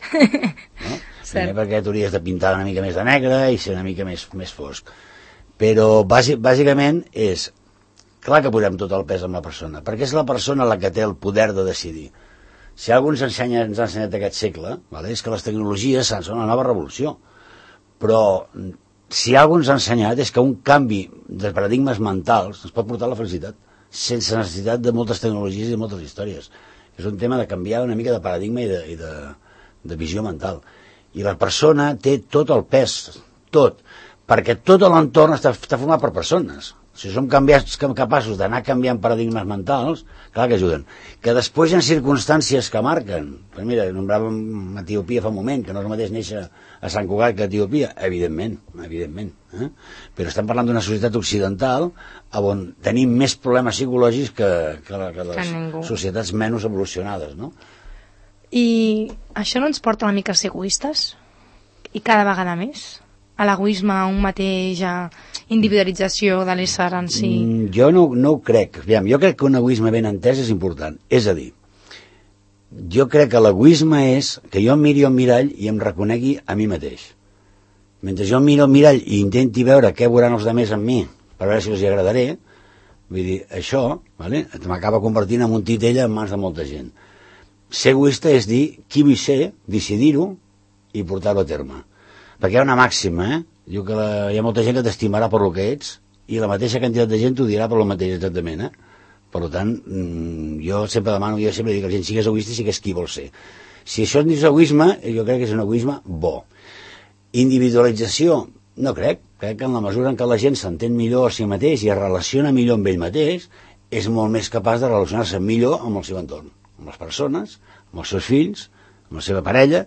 No? Primer perquè t'hauries de pintar una mica més de negre i ser una mica més, més fosc. Però bàsic, bàsicament és... Clar que posem tot el pes en la persona, perquè és la persona la que té el poder de decidir. Si algú ens, ensenya, ens ha ensenyat aquest segle, vale, és que les tecnologies són una nova revolució. Però si algú ens ha ensenyat és que un canvi de paradigmes mentals ens pot portar a la felicitat, sense necessitat de moltes tecnologies i de moltes històries. És un tema de canviar una mica de paradigma i de, i de, de visió mental. I la persona té tot el pes, tot, perquè tot l'entorn està, està format per persones. Si som canviats, capaços d'anar canviant paradigmes mentals, clar que ajuden. Que després hi ha circumstàncies que marquen. Pues mira, nombràvem Etiòpia fa un moment, que no és el mateix néixer a Sant Cugat que a Etiòpia. Evidentment, evidentment. Eh? Però estem parlant d'una societat occidental on tenim més problemes psicològics que, que, la, que les que societats menys evolucionades, no? I això no ens porta una mica a ser egoistes? I cada vegada més? A l'egoisme, a un mateix, a individualització de l'ésser en si? Mm, jo no, no ho crec. Aviam, jo crec que un egoisme ben entès és important. És a dir, jo crec que l'egoisme és que jo em miri al mirall i em reconegui a mi mateix. Mentre jo em miro al mirall i intenti veure què veuran els altres amb mi per veure si els hi agradaré, vull dir, això, vale, m'acaba convertint en un titella en mans de molta gent. Ser egoista és dir qui vull ser, decidir-ho i portar-ho a terme. Perquè hi ha una màxima, eh? Diu que la, hi ha molta gent que t'estimarà per lo que ets i la mateixa quantitat de gent t'ho dirà per lo mateix exactament, eh? Per tant, jo sempre demano, jo sempre dic que la gent sigués egoista i sigués qui vol ser. Si això es diu egoisme, jo crec que és un egoisme bo. Individualització, no crec. Crec que en la mesura en què la gent s'entén millor a si mateix i es relaciona millor amb ell mateix, és molt més capaç de relacionar-se millor amb el seu entorn, amb les persones, amb els seus fills, amb la seva parella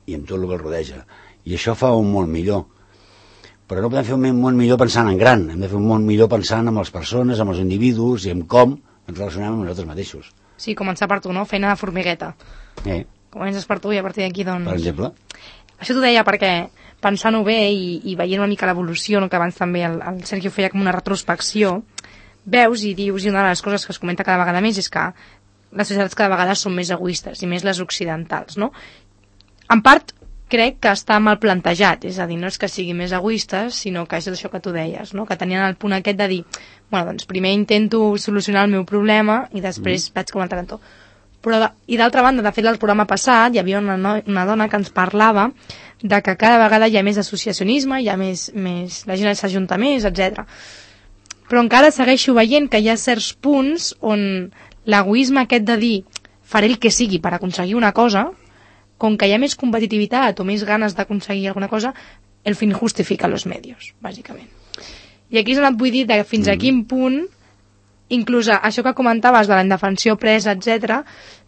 i amb tot el que el rodeja. I això fa un món millor. Però no podem fer un món millor pensant en gran, hem de fer un món millor pensant en les persones, amb els individus i en com ens relacionem amb nosaltres mateixos. Sí, començar per tu, no? Feina de formigueta. Eh. Comences per tu i a partir d'aquí, doncs... Per exemple. Això t'ho deia perquè, pensant-ho bé i, i veient una mica l'evolució, no, que abans també el, el Sergio feia com una retrospecció, veus i dius, i una de les coses que es comenta cada vegada més és que les societats cada vegada són més egoistes, i més les occidentals, no? En part, crec que està mal plantejat, és a dir, no és que siguin més egoistes, sinó que és això que tu deies, no? Que tenien el punt aquest de dir, bueno, doncs primer intento solucionar el meu problema i després mm. vaig com a altre cantó. Però, i d'altra banda, de fet, al programa passat hi havia una, no, una dona que ens parlava de que cada vegada hi ha més associacionisme, hi ha més, més la gent s'ajunta més, etcètera. Però encara segueixo veient que hi ha certs punts on l'egoisme aquest de dir faré el que sigui per aconseguir una cosa, com que hi ha més competitivitat o més ganes d'aconseguir alguna cosa, el fin justifica los medios, bàsicament. I aquí és on et vull dir de fins a quin punt, inclús això que comentaves de la indefensió presa, etcètera,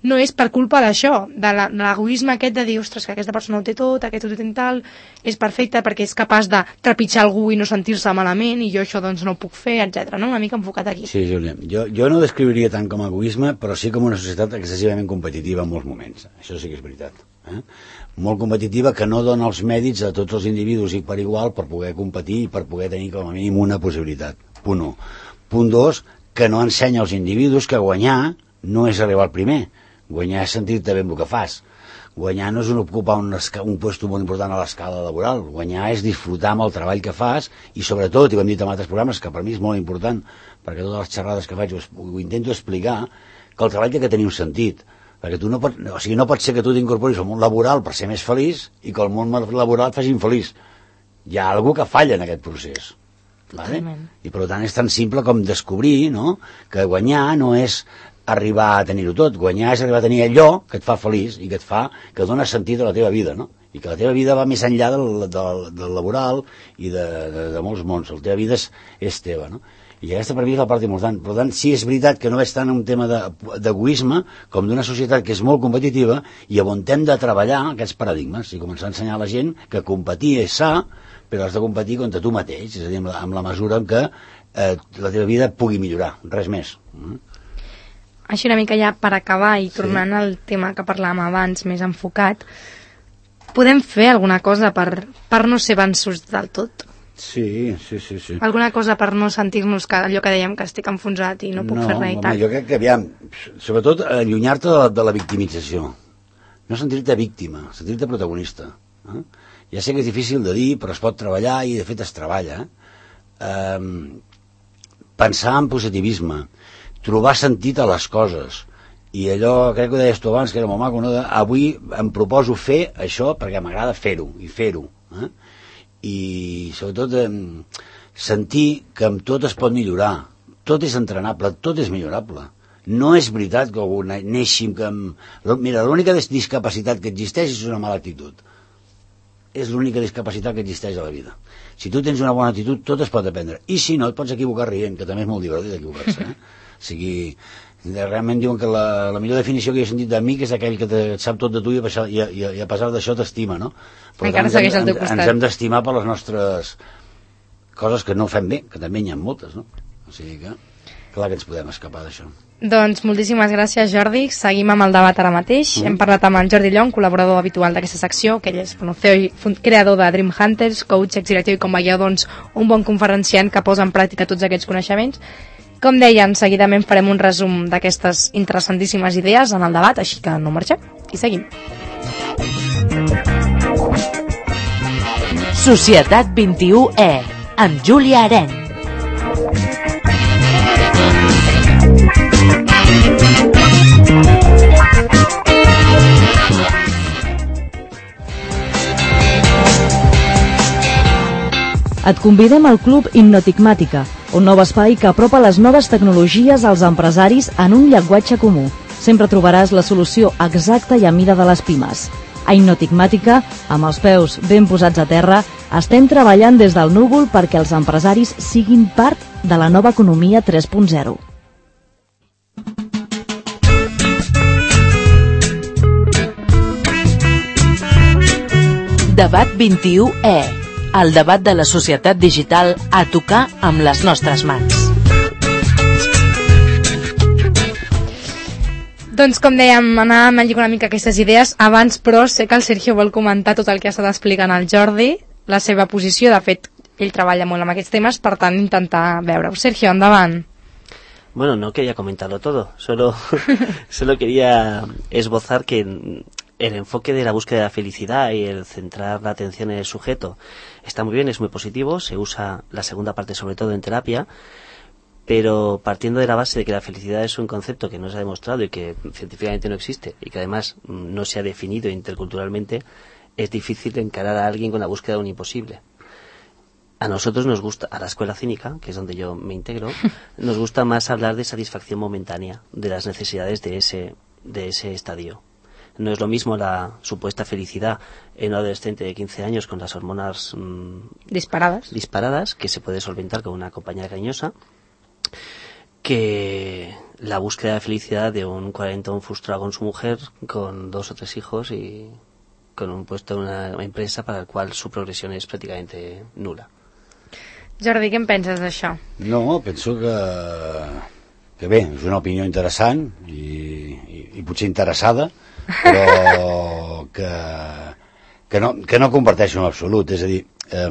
no és per culpa d'això, de l'egoisme aquest de dir, ostres, que aquesta persona ho té tot, aquest ho té tal, és perfecte perquè és capaç de trepitjar algú i no sentir-se malament, i jo això doncs no ho puc fer, etcètera. No? Una mica enfocat aquí. Sí, Júlia, jo, jo no ho descriuria tant com a egoisme, però sí com una societat excessivament competitiva en molts moments. Això sí que és veritat. Eh? Molt competitiva, que no dona els mèrits a tots els individus i per igual per poder competir i per poder tenir com a mínim una possibilitat. Punt u. Punt dos, que no ensenya als individus que guanyar no és arribar al primer. Guanyar és sentir-te bé amb el que fas. Guanyar no és un ocupar un, un puesto molt important a l'escala laboral. Guanyar és disfrutar amb el treball que fas i, sobretot, i ho hem dit en altres programes, que per mi és molt important, perquè totes les xerrades que faig ho, ho intento explicar, que el treball té que tenir un sentit. Perquè tu no pots, o sigui, no pot ser que tu t'incorporis al món laboral per ser més feliç i que el món laboral et faci infeliç. Hi ha algú que falla en aquest procés. Vale? I per tant és tan simple com descobrir, no?, que guanyar no és arribar a tenir-ho tot, guanyar és arribar a tenir allò que et fa feliç i que et fa, que dona sentit a la teva vida, no? I que la teva vida va més enllà del, del, del laboral i de, de, de molts mons. La teva vida és, és teva, no? I aquesta per mi és la part important. Per tant, sí és veritat que no és tant un tema d'egoisme com d'una societat que és molt competitiva i on hem de treballar aquests paradigmes i començar a ensenyar a la gent que competir és sa, però has de competir contra tu mateix, és a dir, amb la, amb la mesura en què eh, la teva vida pugui millorar, res més. Mm? Així una mica ja per acabar i tornant sí. al tema que parlàvem abans, més enfocat, podem fer alguna cosa per, per no ser vençuts del tot? Sí, sí, sí, sí. Alguna cosa per no sentir-nos que allò que dèiem que estic enfonsat i no puc no, fer res i home, tal? Jo crec que, aviam, sobretot allunyar-te de, de la victimització. No sentir-te víctima, sentir-te protagonista. Eh? Ja sé que és difícil de dir, però es pot treballar i de fet es treballa. Eh, pensar en positivisme, trobar sentit a les coses, i allò, crec que ho deies tu abans, que era molt maco, no? De, avui em proposo fer això perquè m'agrada fer-ho, i fer-ho. Eh? I sobretot eh, sentir que amb tot es pot millorar, tot és entrenable, tot és millorable. No és veritat que algú neixi amb... Mira, l'única discapacitat que existeix és una mala actitud. És l'única discapacitat que existeix a la vida. Si tu tens una bona actitud, tot es pot aprendre. I si no, et pots equivocar rient, que també és molt divertit equivocar-se. Eh? O sigui, realment diuen que la, la millor definició que he sentit d'amic és aquell que te, sap tot de tu i a pesar, i a, i a pesar d'això t'estima, no? Per encara tant, segueix al teu ens, costat. ens hem d'estimar per les nostres coses que no fem bé, que també n'hi ha moltes, no? O sigui que, clar que ens podem escapar d'això. Doncs moltíssimes gràcies, Jordi. Seguim amb el debat ara mateix. Mm. Hem parlat amb en Jordi Llong, col·laborador habitual d'aquesta secció, que ell és bueno, C E O i creador de Dream Hunters, coach, exdirectiu i, com veieu, doncs, un bon conferenciant que posa en pràctica tots aquests coneixements. Com deien, seguidament farem un resum d'aquestes interessantíssimes idees en el debat, així que no marxem i seguim. Societat vint-i-u E, amb Júlia Arenc. Et convidem al Club Hipnotigmàtica, un nou espai que apropa les noves tecnologies als empresaris en un llenguatge comú. Sempre trobaràs la solució exacta i a mida de les pimes. A Hipnotigmàtica, amb els peus ben posats a terra, estem treballant des del núvol perquè els empresaris siguin part de la nova economia tres punt zero. Debat vint-i-u E, el debat de la societat digital a tocar amb les nostres mans. Doncs com dèiem, anàvem a lligar una mica aquestes idees. Abans, però, sé que el Sergio vol comentar tot el que ha estat explicant el Jordi, la seva posició. De fet, ell treballa molt amb aquests temes, per tant, intentar veure-ho. Sergio, endavant. Bueno, no quería comentarlo todo, solo, solo quería esbozar que el enfoque de la búsqueda de la felicidad y el centrar la atención en el sujeto está muy bien, es muy positivo, se usa la segunda parte sobre todo en terapia, pero partiendo de la base de que la felicidad es un concepto que no se ha demostrado y que científicamente no existe y que además no se ha definido interculturalmente, es difícil encarar a alguien con la búsqueda de un imposible. A nosotros nos gusta, a la escuela cínica, que es donde yo me integro, nos gusta más hablar de satisfacción momentánea, de las necesidades de ese, de ese estadio. No es lo mismo la supuesta felicidad en un adolescente de quince años con las hormonas mmm, disparadas. disparadas, que se puede solventar con una compañera cariñosa, que la búsqueda de felicidad de un cuarentón frustrado con su mujer, con dos o tres hijos y con un puesto en una empresa para el cual su progresión es prácticamente nula. Jordi, què en penses d'això? No, penso que, que bé, és una opinió interessant i, i, i potser interessada, però que, que, no, que no comparteixo en absolut. És a dir, eh,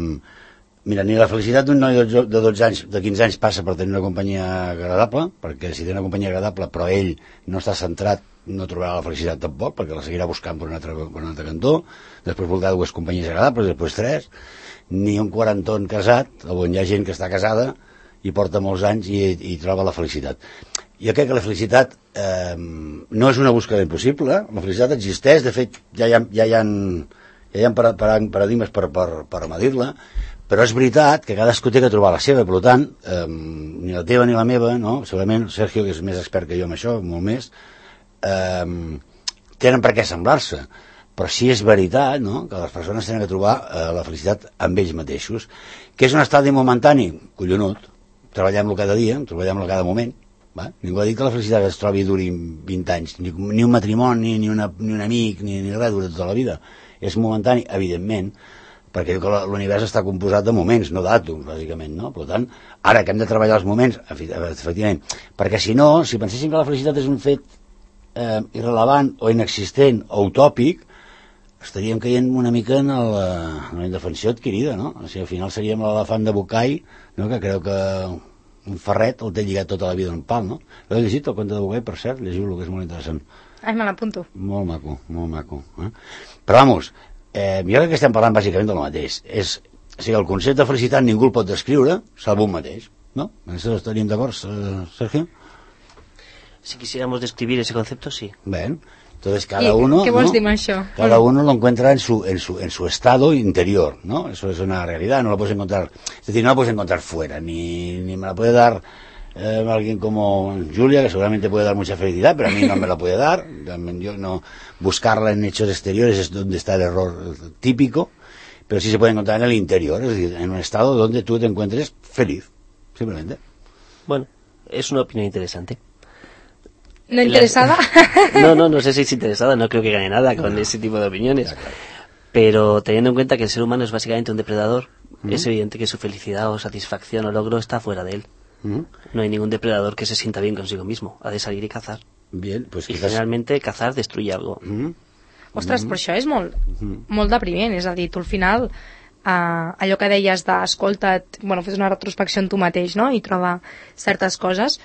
mira, ni la felicitat d'un noi de dotze anys, de quinze anys passa per tenir una companyia agradable, perquè si té una companyia agradable però ell no està centrat no trobarà la felicitat tampoc, perquè la seguirà buscant per un altre, per un altre cantó, després voldrà dues companyies agradables, després tres, ni un quarantón casat, on hi ha gent que està casada i porta molts anys i, i troba la felicitat. Jo crec que la felicitat eh, no és una búsqueda impossible, la felicitat existeix, de fet ja hi ha, ja hi ha, ja hi ha paradigmes per, per, per medir-la, però és veritat que cadascú té que trobar la seva, per tant, eh, ni la teva ni la meva, no? Segurament Sergio, que és més expert que jo en això, molt més, eh, tenen per què semblar-se, però sí és veritat, no?, que les persones tenen que trobar eh, la felicitat amb ells mateixos, que és un estadi momentani, collonut, treballem-lo cada dia, treballem-lo cada moment, va? Ningú ha dit que la felicitat es trobi i duri vint anys, ni, ni un matrimoni, ni, una, ni un amic, ni, ni res dura tota la vida, és momentani, evidentment, perquè l'univers està composat de moments, no d'àtoms, bàsicament, no? Per tant, ara que hem de treballar els moments, efectivament, perquè si no, si penséssim que la felicitat és un fet eh, irrelevant o inexistent o utòpic, estaríem caient una mica en, el, en la indefensió adquirida, no? O sigui, al final seríem l'elefant de Bucay, no?, que creu que un ferret el té lligat tota la vida en un pal, no? L'he llegit, el conte de Bucay, per cert, llegiu-lo, que és molt interessant. Ai, me l'apunto. Molt maco, molt maco. Eh? Però, vamos, eh, jo crec que estem parlant bàsicament del mateix. És, o sigui, el concepte de felicitat ningú el pot descriure, salvo un mateix, no? En això estaríem d'acord, Sergio? Si quisiéramos describir ese concepto, sí. Bien. Entonces cada uno, ¿qué vols ¿no? dir amb això? Cada uno lo encuentra en su, en su, en su estado interior, ¿no? Eso es una realidad, no lo puedes encontrar, es decir, no la puedes encontrar fuera, ni, ni me la puede dar eh, alguien como Julia, que seguramente puede dar mucha felicidad, pero a mí no me la puede dar. Yo no, buscarla en hechos exteriores es donde está el error típico, pero sí se puede encontrar en el interior, es decir, en un estado donde tú te encuentres feliz, simplemente. Bueno, es una opinión interesante. ¿No interesada? No, no, no sé si es interesada, no creo que gane nada con ese tipo de opiniones. Ya, claro. Pero teniendo en cuenta que el ser humano es básicamente un depredador, uh-huh. es evidente que su felicidad o satisfacción o logro está fuera de él. Uh-huh. No hay ningún depredador que se sienta bien consigo mismo, ha de salir y cazar. Bien, pues y quizás... generalmente cazar destruye algo. Uh-huh. Ostres, però això és molt, uh-huh. molt depriment, és a dir, tu al final uh, allò que deies d'escolta't, bueno, fes una retrospecció en tu mateix, no?, i trobar certes coses.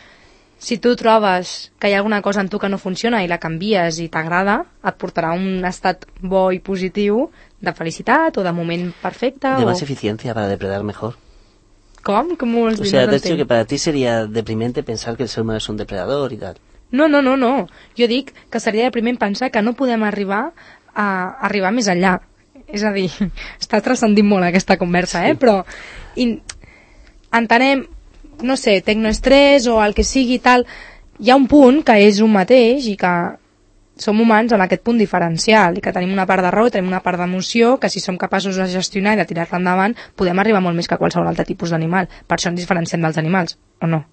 Si tu trobes que hi ha alguna cosa en tu que no funciona i la canvies i t'agrada, et portarà a un estat bo i positiu de felicitat o de moment perfecte. De o... más eficiencia para depredar mejor. ¿Com? ¿Cómo o sea, te has dicho que para ti sería deprimente pensar que el ser humano es un depredador y tal. No, no, no, no. Jo dic que seria depriment pensar que no podem arribar a arribar més enllà. És a dir, està transcendint molt aquesta conversa, eh? Sí. Però in... entenem, no sé, tecnoestrès o el que sigui tal, hi ha un punt que és un mateix i que som humans en aquest punt diferencial i que tenim una part de raó i tenim una part d'emoció que si som capaços de gestionar i de tirar-la endavant podem arribar molt més que qualsevol altre tipus d'animal. Per això ens diferenciem dels animals, o no?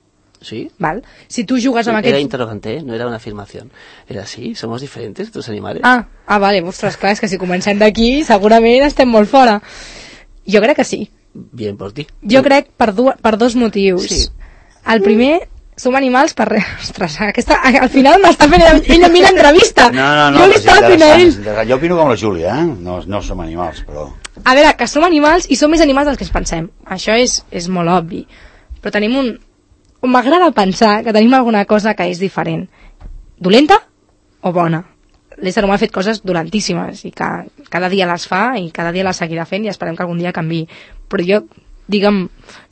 Sí. Val? Si tu jugues amb Era aquests... interrogante, ¿eh? No era una afirmación. Era sí, somos diferentes, tus animales. Ah, ah vale, ostres, clar, és que si comencem d'aquí segurament estem molt fora. Jo crec que sí. Bien por ti. Jo crec per, du per dos motius. Sí. El primer, som animals per res. Ostres, aquesta, al final m'està fent ell a mi l'entrevista. No, no, no. Jo li estava fent a ell. Jo opino com la Júlia, eh? No, no som animals, però... A veure, que som animals i som més animals dels que ens pensem. Això és, és molt obvi. Però tenim un... M'agrada pensar que tenim alguna cosa que és diferent. Dolenta o bona? L'ésser humà ha fet coses dolentíssimes i que cada dia les fa i cada dia les seguirà fent i esperem que algun dia canviï. Però jo, digue'm,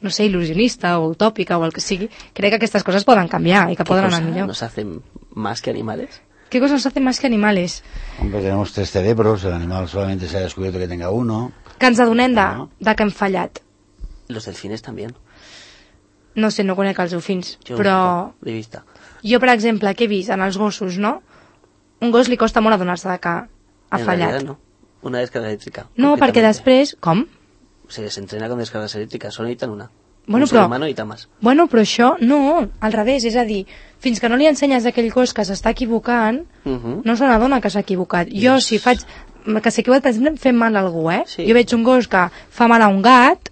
no sé, il·lusionista o utòpica o el que sigui, crec que aquestes coses poden canviar i que poden anar millor. ¿Nos hacen más que animales? ¿Qué cosas nos hacen más que animales? Hombre, tenemos tres cerebros, el animal solamente se ha descubierto que tenga uno. Que ens adonem de, de que hem fallat. Los delfines también. No sé, no conec els delfins, jo, però... De vista. Jo, per exemple, què he vist en els gossos, no? Un gos li costa molt adonar-se de que ha en fallat. No. Una descarga eléctrica. No, perquè després... Com? Se desentrena con descargas eléctricas, solo necesitan una. Bueno, un però, ser humano necesita más. Bueno, però això no, al revés, és a dir, fins que no li ensenyes aquell gos que s'està equivocant, uh -huh. no se n'adona que s'ha equivocat. Yes. Jo, si faig... que s'ha equivocat, per exemple, fem mal a algú, eh? Sí. Jo veig un gos que fa mal a un gat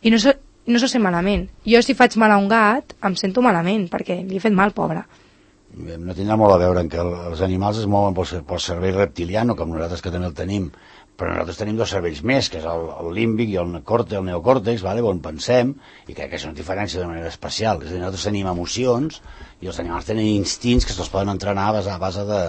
i no se, no se sent malament. Jo, si faig mal a un gat, em sento malament, perquè li he fet mal, pobre. no tindrà molt a veure en que els animals es mouen pel, pel cervell reptiliano, com nosaltres que també el tenim, però nosaltres tenim dos cervells més, que és el, el límbic i el, còrtex, el neocòrtex, vale, on pensem, i crec que això no diferència de manera especial. És a dir, nosaltres tenim emocions i els animals tenen instints que se'ls poden entrenar a base, a base de,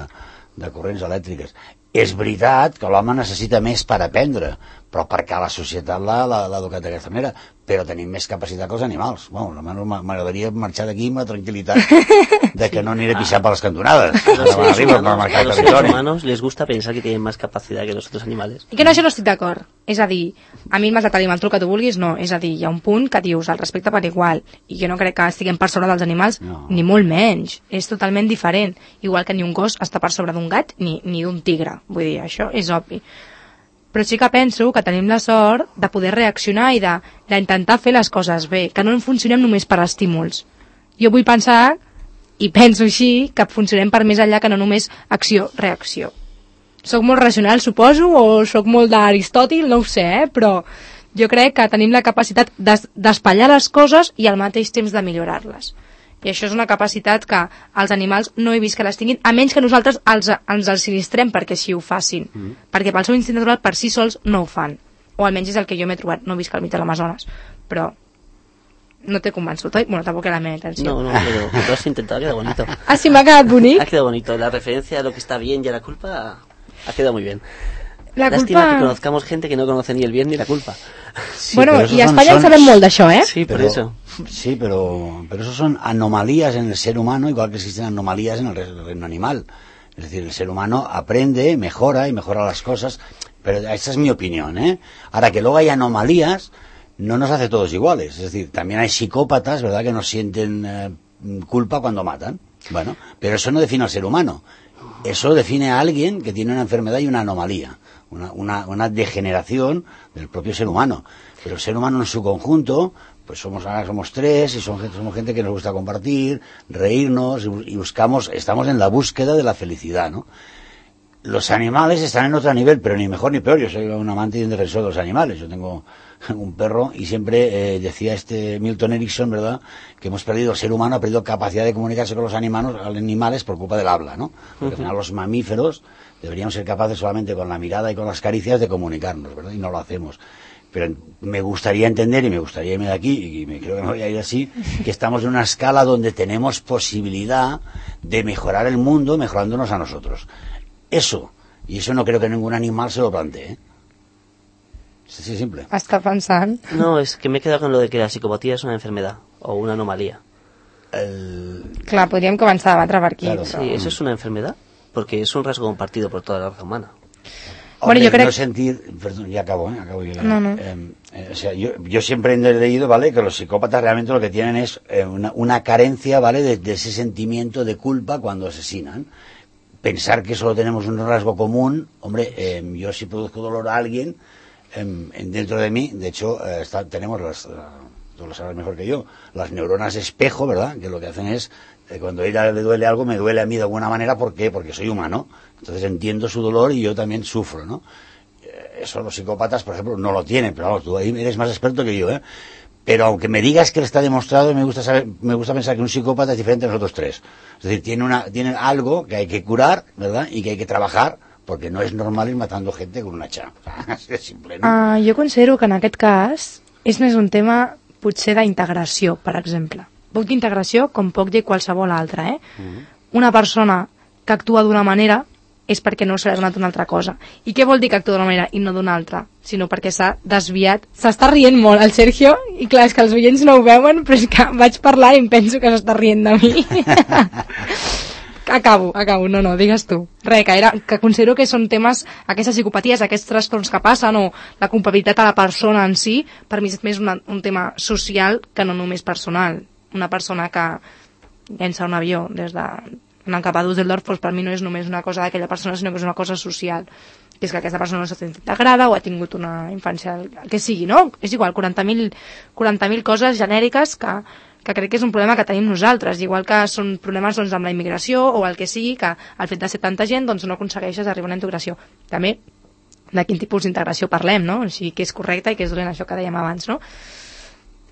de corrents elèctriques. És veritat que l'home necessita més per aprendre, però perquè la societat l'ha educat d'aquesta manera, però tenim més capacitat que els animals. Bueno, m'agradaria marxar d'aquí amb la tranquil·litat de que no aniré a pixar per les cantonades. A los seres humanos les gusta pensar que tienen más capacidad que los otros animales. I que no, això no estic d'acord. És a dir, a mi m'has de tenir el que tu vulguis, no. És a dir, hi ha un punt que dius el respecte per igual, i jo no crec que estiguem per sobre dels animals, no. Ni molt menys. És totalment diferent. Igual que ni un gos està per sobre d'un gat ni, ni d'un tigre. Vull dir, això és obvi. Però sí que penso que tenim la sort de poder reaccionar i d'intentar fer les coses bé, que no en funcionem només per estímuls. Jo vull pensar, i penso així, que funcionem per més enllà que no només acció-reacció. Soc molt racional, suposo, o soc molt d'Aristòtil, no ho sé, eh? Però jo crec que tenim la capacitat d'espatllar les coses i al mateix temps de millorar-les. I això és una capacitat que els animals no he vist que les tinguin, a menys que nosaltres els, ens els sinistrem perquè així ho facin. Mm. Perquè pel seu instint natural per si sols no ho fan. O almenys és el que jo m'he trobat. No he vist que al mig de l'Amazones. Però no t'he convençut, oi? Bueno, tampoc era la meva intenció. No, no, pero lo has intentado, ha quedado bonito. Ah, sí, m'ha quedat bonic? Ha quedado bonito. La referencia a lo que está bien y a la culpa ha quedado muy bien. La Lástima culpa... que conozcamos gente que no conoce ni el bien ni la culpa. Sí, bueno, y a España son... saben molt d'això, ¿eh? Sí, por pero, eso. Sí, pero, pero eso son anomalías en el ser humano, igual que existen anomalías en el reino animal. Es decir, el ser humano aprende, mejora y mejora las cosas, pero esa es mi opinión, ¿eh? Ahora, que luego hay anomalías, no nos hace todos iguales. Es decir, también hay psicópatas, ¿verdad?, que no sienten eh, culpa cuando matan. Bueno, pero eso no define al ser humano. Eso define a alguien que tiene una enfermedad y una anomalía. Una, una, una degeneración del propio ser humano. Pero el ser humano en su conjunto, pues somos ahora somos tres y somos, somos gente que nos gusta compartir, reírnos y, y buscamos, estamos en la búsqueda de la felicidad, ¿no? Los animales están en otro nivel, pero ni mejor ni peor. Yo soy un amante y un defensor de los animales. Yo tengo un perro y siempre eh, decía este Milton Erickson, ¿verdad?, que hemos perdido, el ser humano ha perdido capacidad de comunicarse con los animales, animales por culpa del habla, ¿no? Porque al final los mamíferos deberíamos ser capaces solamente con la mirada y con las caricias de comunicarnos, ¿verdad? Y no lo hacemos. Pero me gustaría entender, y me gustaría irme de aquí, y me creo que me voy a ir así, que estamos en una escala donde tenemos posibilidad de mejorar el mundo mejorándonos a nosotros. Eso, y eso no creo que ningún animal se lo plantee, ¿eh? Es así simple. Està pensant. No, es que me he quedado con lo de que la psicopatía es una enfermedad o una anomalía. El... Clar, podríem començar a debatre per aquí. Claro, però... Sí, ¿eso es una enfermedad? Porque es un rasgo compartido por toda la raza humana. Hombre, bueno, yo creo... no sentir... Perdón, ya acabo, ¿eh? Acabo yo, no, no. Eh, eh, o sea, yo, yo siempre he leído, ¿vale?, que los psicópatas realmente lo que tienen es eh, una, una carencia, ¿vale?, de, de ese sentimiento de culpa cuando asesinan. Pensar que solo tenemos un rasgo común, hombre, eh, yo si produzco dolor a alguien, eh, dentro de mí, de hecho, eh, está, tenemos las, tú lo sabes mejor que yo, las neuronas espejo, ¿verdad?, que lo que hacen es, eh, cuando a ella le duele algo, me duele a mí de alguna manera, ¿por qué? Porque soy humano, entonces entiendo su dolor y yo también sufro, ¿no? Eh, eso los psicópatas, por ejemplo, no lo tienen, pero vamos, tú ahí eres más experto que yo, ¿eh? Pero aunque me digas que está demostrado, me gusta saber, me gusta pensar que un psicópata es diferente a nosotros tres. Es decir, tiene una, tiene algo que hay que curar, ¿verdad?, y que hay que trabajar, porque no es normal ir matando gente con una hacha. És simple, no? Uh, jo considero que en aquest cas és més un tema potser d'integració, per exemple. Poc d'integració com poc de qualsevol altra, eh? Uh-huh. Una persona que actua d'una manera és perquè no se li ha donat una altra cosa. I què vol dir que actua d'una manera i no d'una altra? Sinó perquè s'ha desviat. S'està rient molt el Sergio, i clar, és que els oients no ho veuen, però és que vaig parlar i em penso que s'està rient de mi. acabo, acabo, no, no, digues tu. Res, que, era, que considero que són temes, aquestes psicopaties, aquests trastorns que passen, o la culpabilitat a la persona en si, per mi és més una, un tema social que no només personal. Una persona que llença un avió des de... anant cap a Düsseldorf, doncs per mi no és només una cosa d'aquella persona, sinó que és una cosa social, que és que aquesta persona no s'ha sentit integrada o ha tingut una infància, el que sigui, no? És igual, quaranta mil coses genèriques que, que crec que és un problema que tenim nosaltres, igual que són problemes doncs, amb la immigració o el que sigui, que el fet de ser tanta gent doncs, no aconsegueixes arribar a una integració. També de quin tipus d'integració parlem, no? O sigui, que és correcte i que és dolent, això que dèiem abans, no?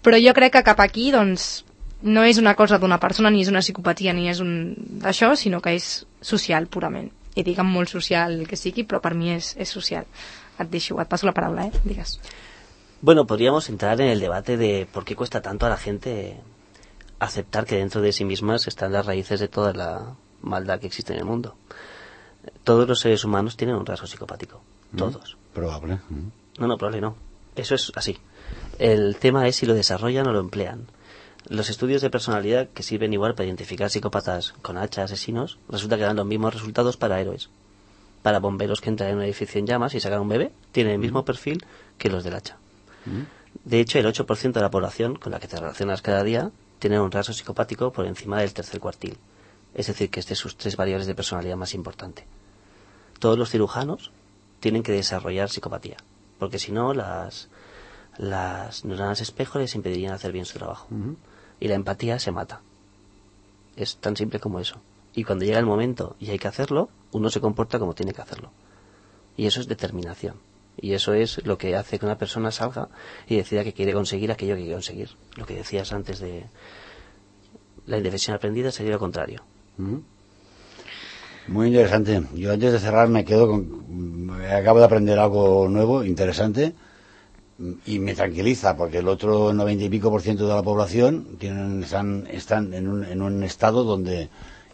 Però jo crec que cap aquí, doncs, no és una cosa d'una persona, ni és una psicopatia, ni és un d'això, sinó que és social, purament. I dic amb molt social el que sigui, però per mi es, es social. Et deixo, et paso la paraula, ¿eh? Digues. Bueno, podríamos entrar en el debate de por qué cuesta tanto a la gente aceptar que dentro de sí mismas están las raíces de toda la maldad que existe en el mundo. Todos los seres humanos tienen un rasgo psicopático. Todos. Mm, probable. Mm. No, no, probable no. Eso es así. El tema es si lo desarrollan o lo emplean. Los estudios de personalidad que sirven igual para identificar psicópatas con hacha, asesinos, resulta que dan los mismos resultados para héroes. Para bomberos que entran en un edificio en llamas y sacan un bebé, tienen el mismo perfil que los del hacha. De hecho, el ocho por ciento de la población con la que te relacionas cada día tiene un rasgo psicopático por encima del tercer cuartil. Es decir, que es de sus tres variables de personalidad más importante. Todos los cirujanos tienen que desarrollar psicopatía, porque si no, las, las neuronas espejo les impedirían hacer bien su trabajo. Uh-huh. Y la empatía se mata. Es tan simple como eso. Y cuando llega el momento y hay que hacerlo, uno se comporta como tiene que hacerlo. Y eso es determinación. Y eso es lo que hace que una persona salga y decida que quiere conseguir aquello que quiere conseguir. Lo que decías antes de la indefensión aprendida sería lo contrario. Uh-huh. Muy interesante. Yo antes de cerrar me quedo con... Acabo de aprender algo nuevo, interesante, y me tranquiliza, porque el otro noventa y pico por ciento de la población tienen, están, están en, un, en un estado donde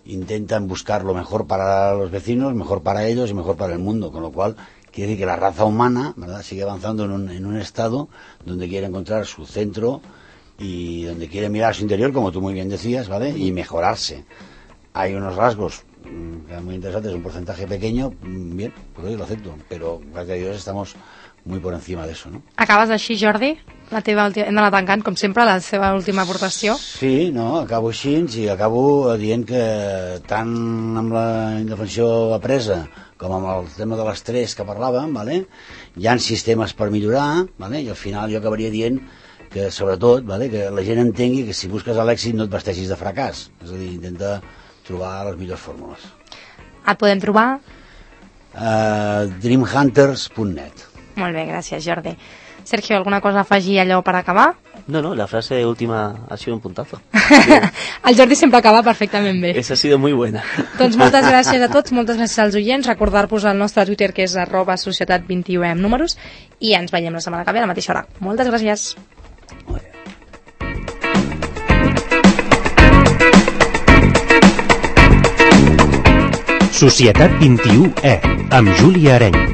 intentan buscar lo mejor para los vecinos, mejor para ellos y mejor para el mundo, con lo cual quiere decir que la raza humana, ¿verdad?, sigue avanzando en un, en un estado donde quiere encontrar su centro y donde quiere mirar a su interior, como tú muy bien decías, ¿vale?, y mejorarse. Hay unos rasgos que muy interesantes, un porcentaje pequeño, bien, pues lo acepto, pero gracias a Dios estamos muy por encima de eso, ¿no? Acabes així, Jordi? La teva última, hem d'anar tancant, com sempre, la seva última aportació. Sí, no, acabo així i acabo dient que tant amb la indefensió apresa com amb el tema de l'estrès que parlàvem, ¿vale?, hi ha sistemes per millorar, ¿vale?, i al final jo acabaria dient que, sobretot, ¿vale?, que la gent entengui que si busques l'èxit no et vesteixis de fracàs, és a dir, intenta trobar les millors fórmules. Et podem trobar? Uh, dream hunters punt net. Molt bé, gràcies, Jordi. Sergio, ¿alguna cosa a afegir allò per acabar? No, no, la frase última ha sido un puntazo. El Jordi sempre acaba perfectament bé. Esa ha sido muy buena. Doncs moltes gràcies a tots, moltes gràcies als oients. Recordar-vos el nostre Twitter, que és arroba societat vint i u amb números, i ens veiem la setmana que ve a la mateixa hora. Moltes gràcies. Societat vint i u E, amb Júlia Areny.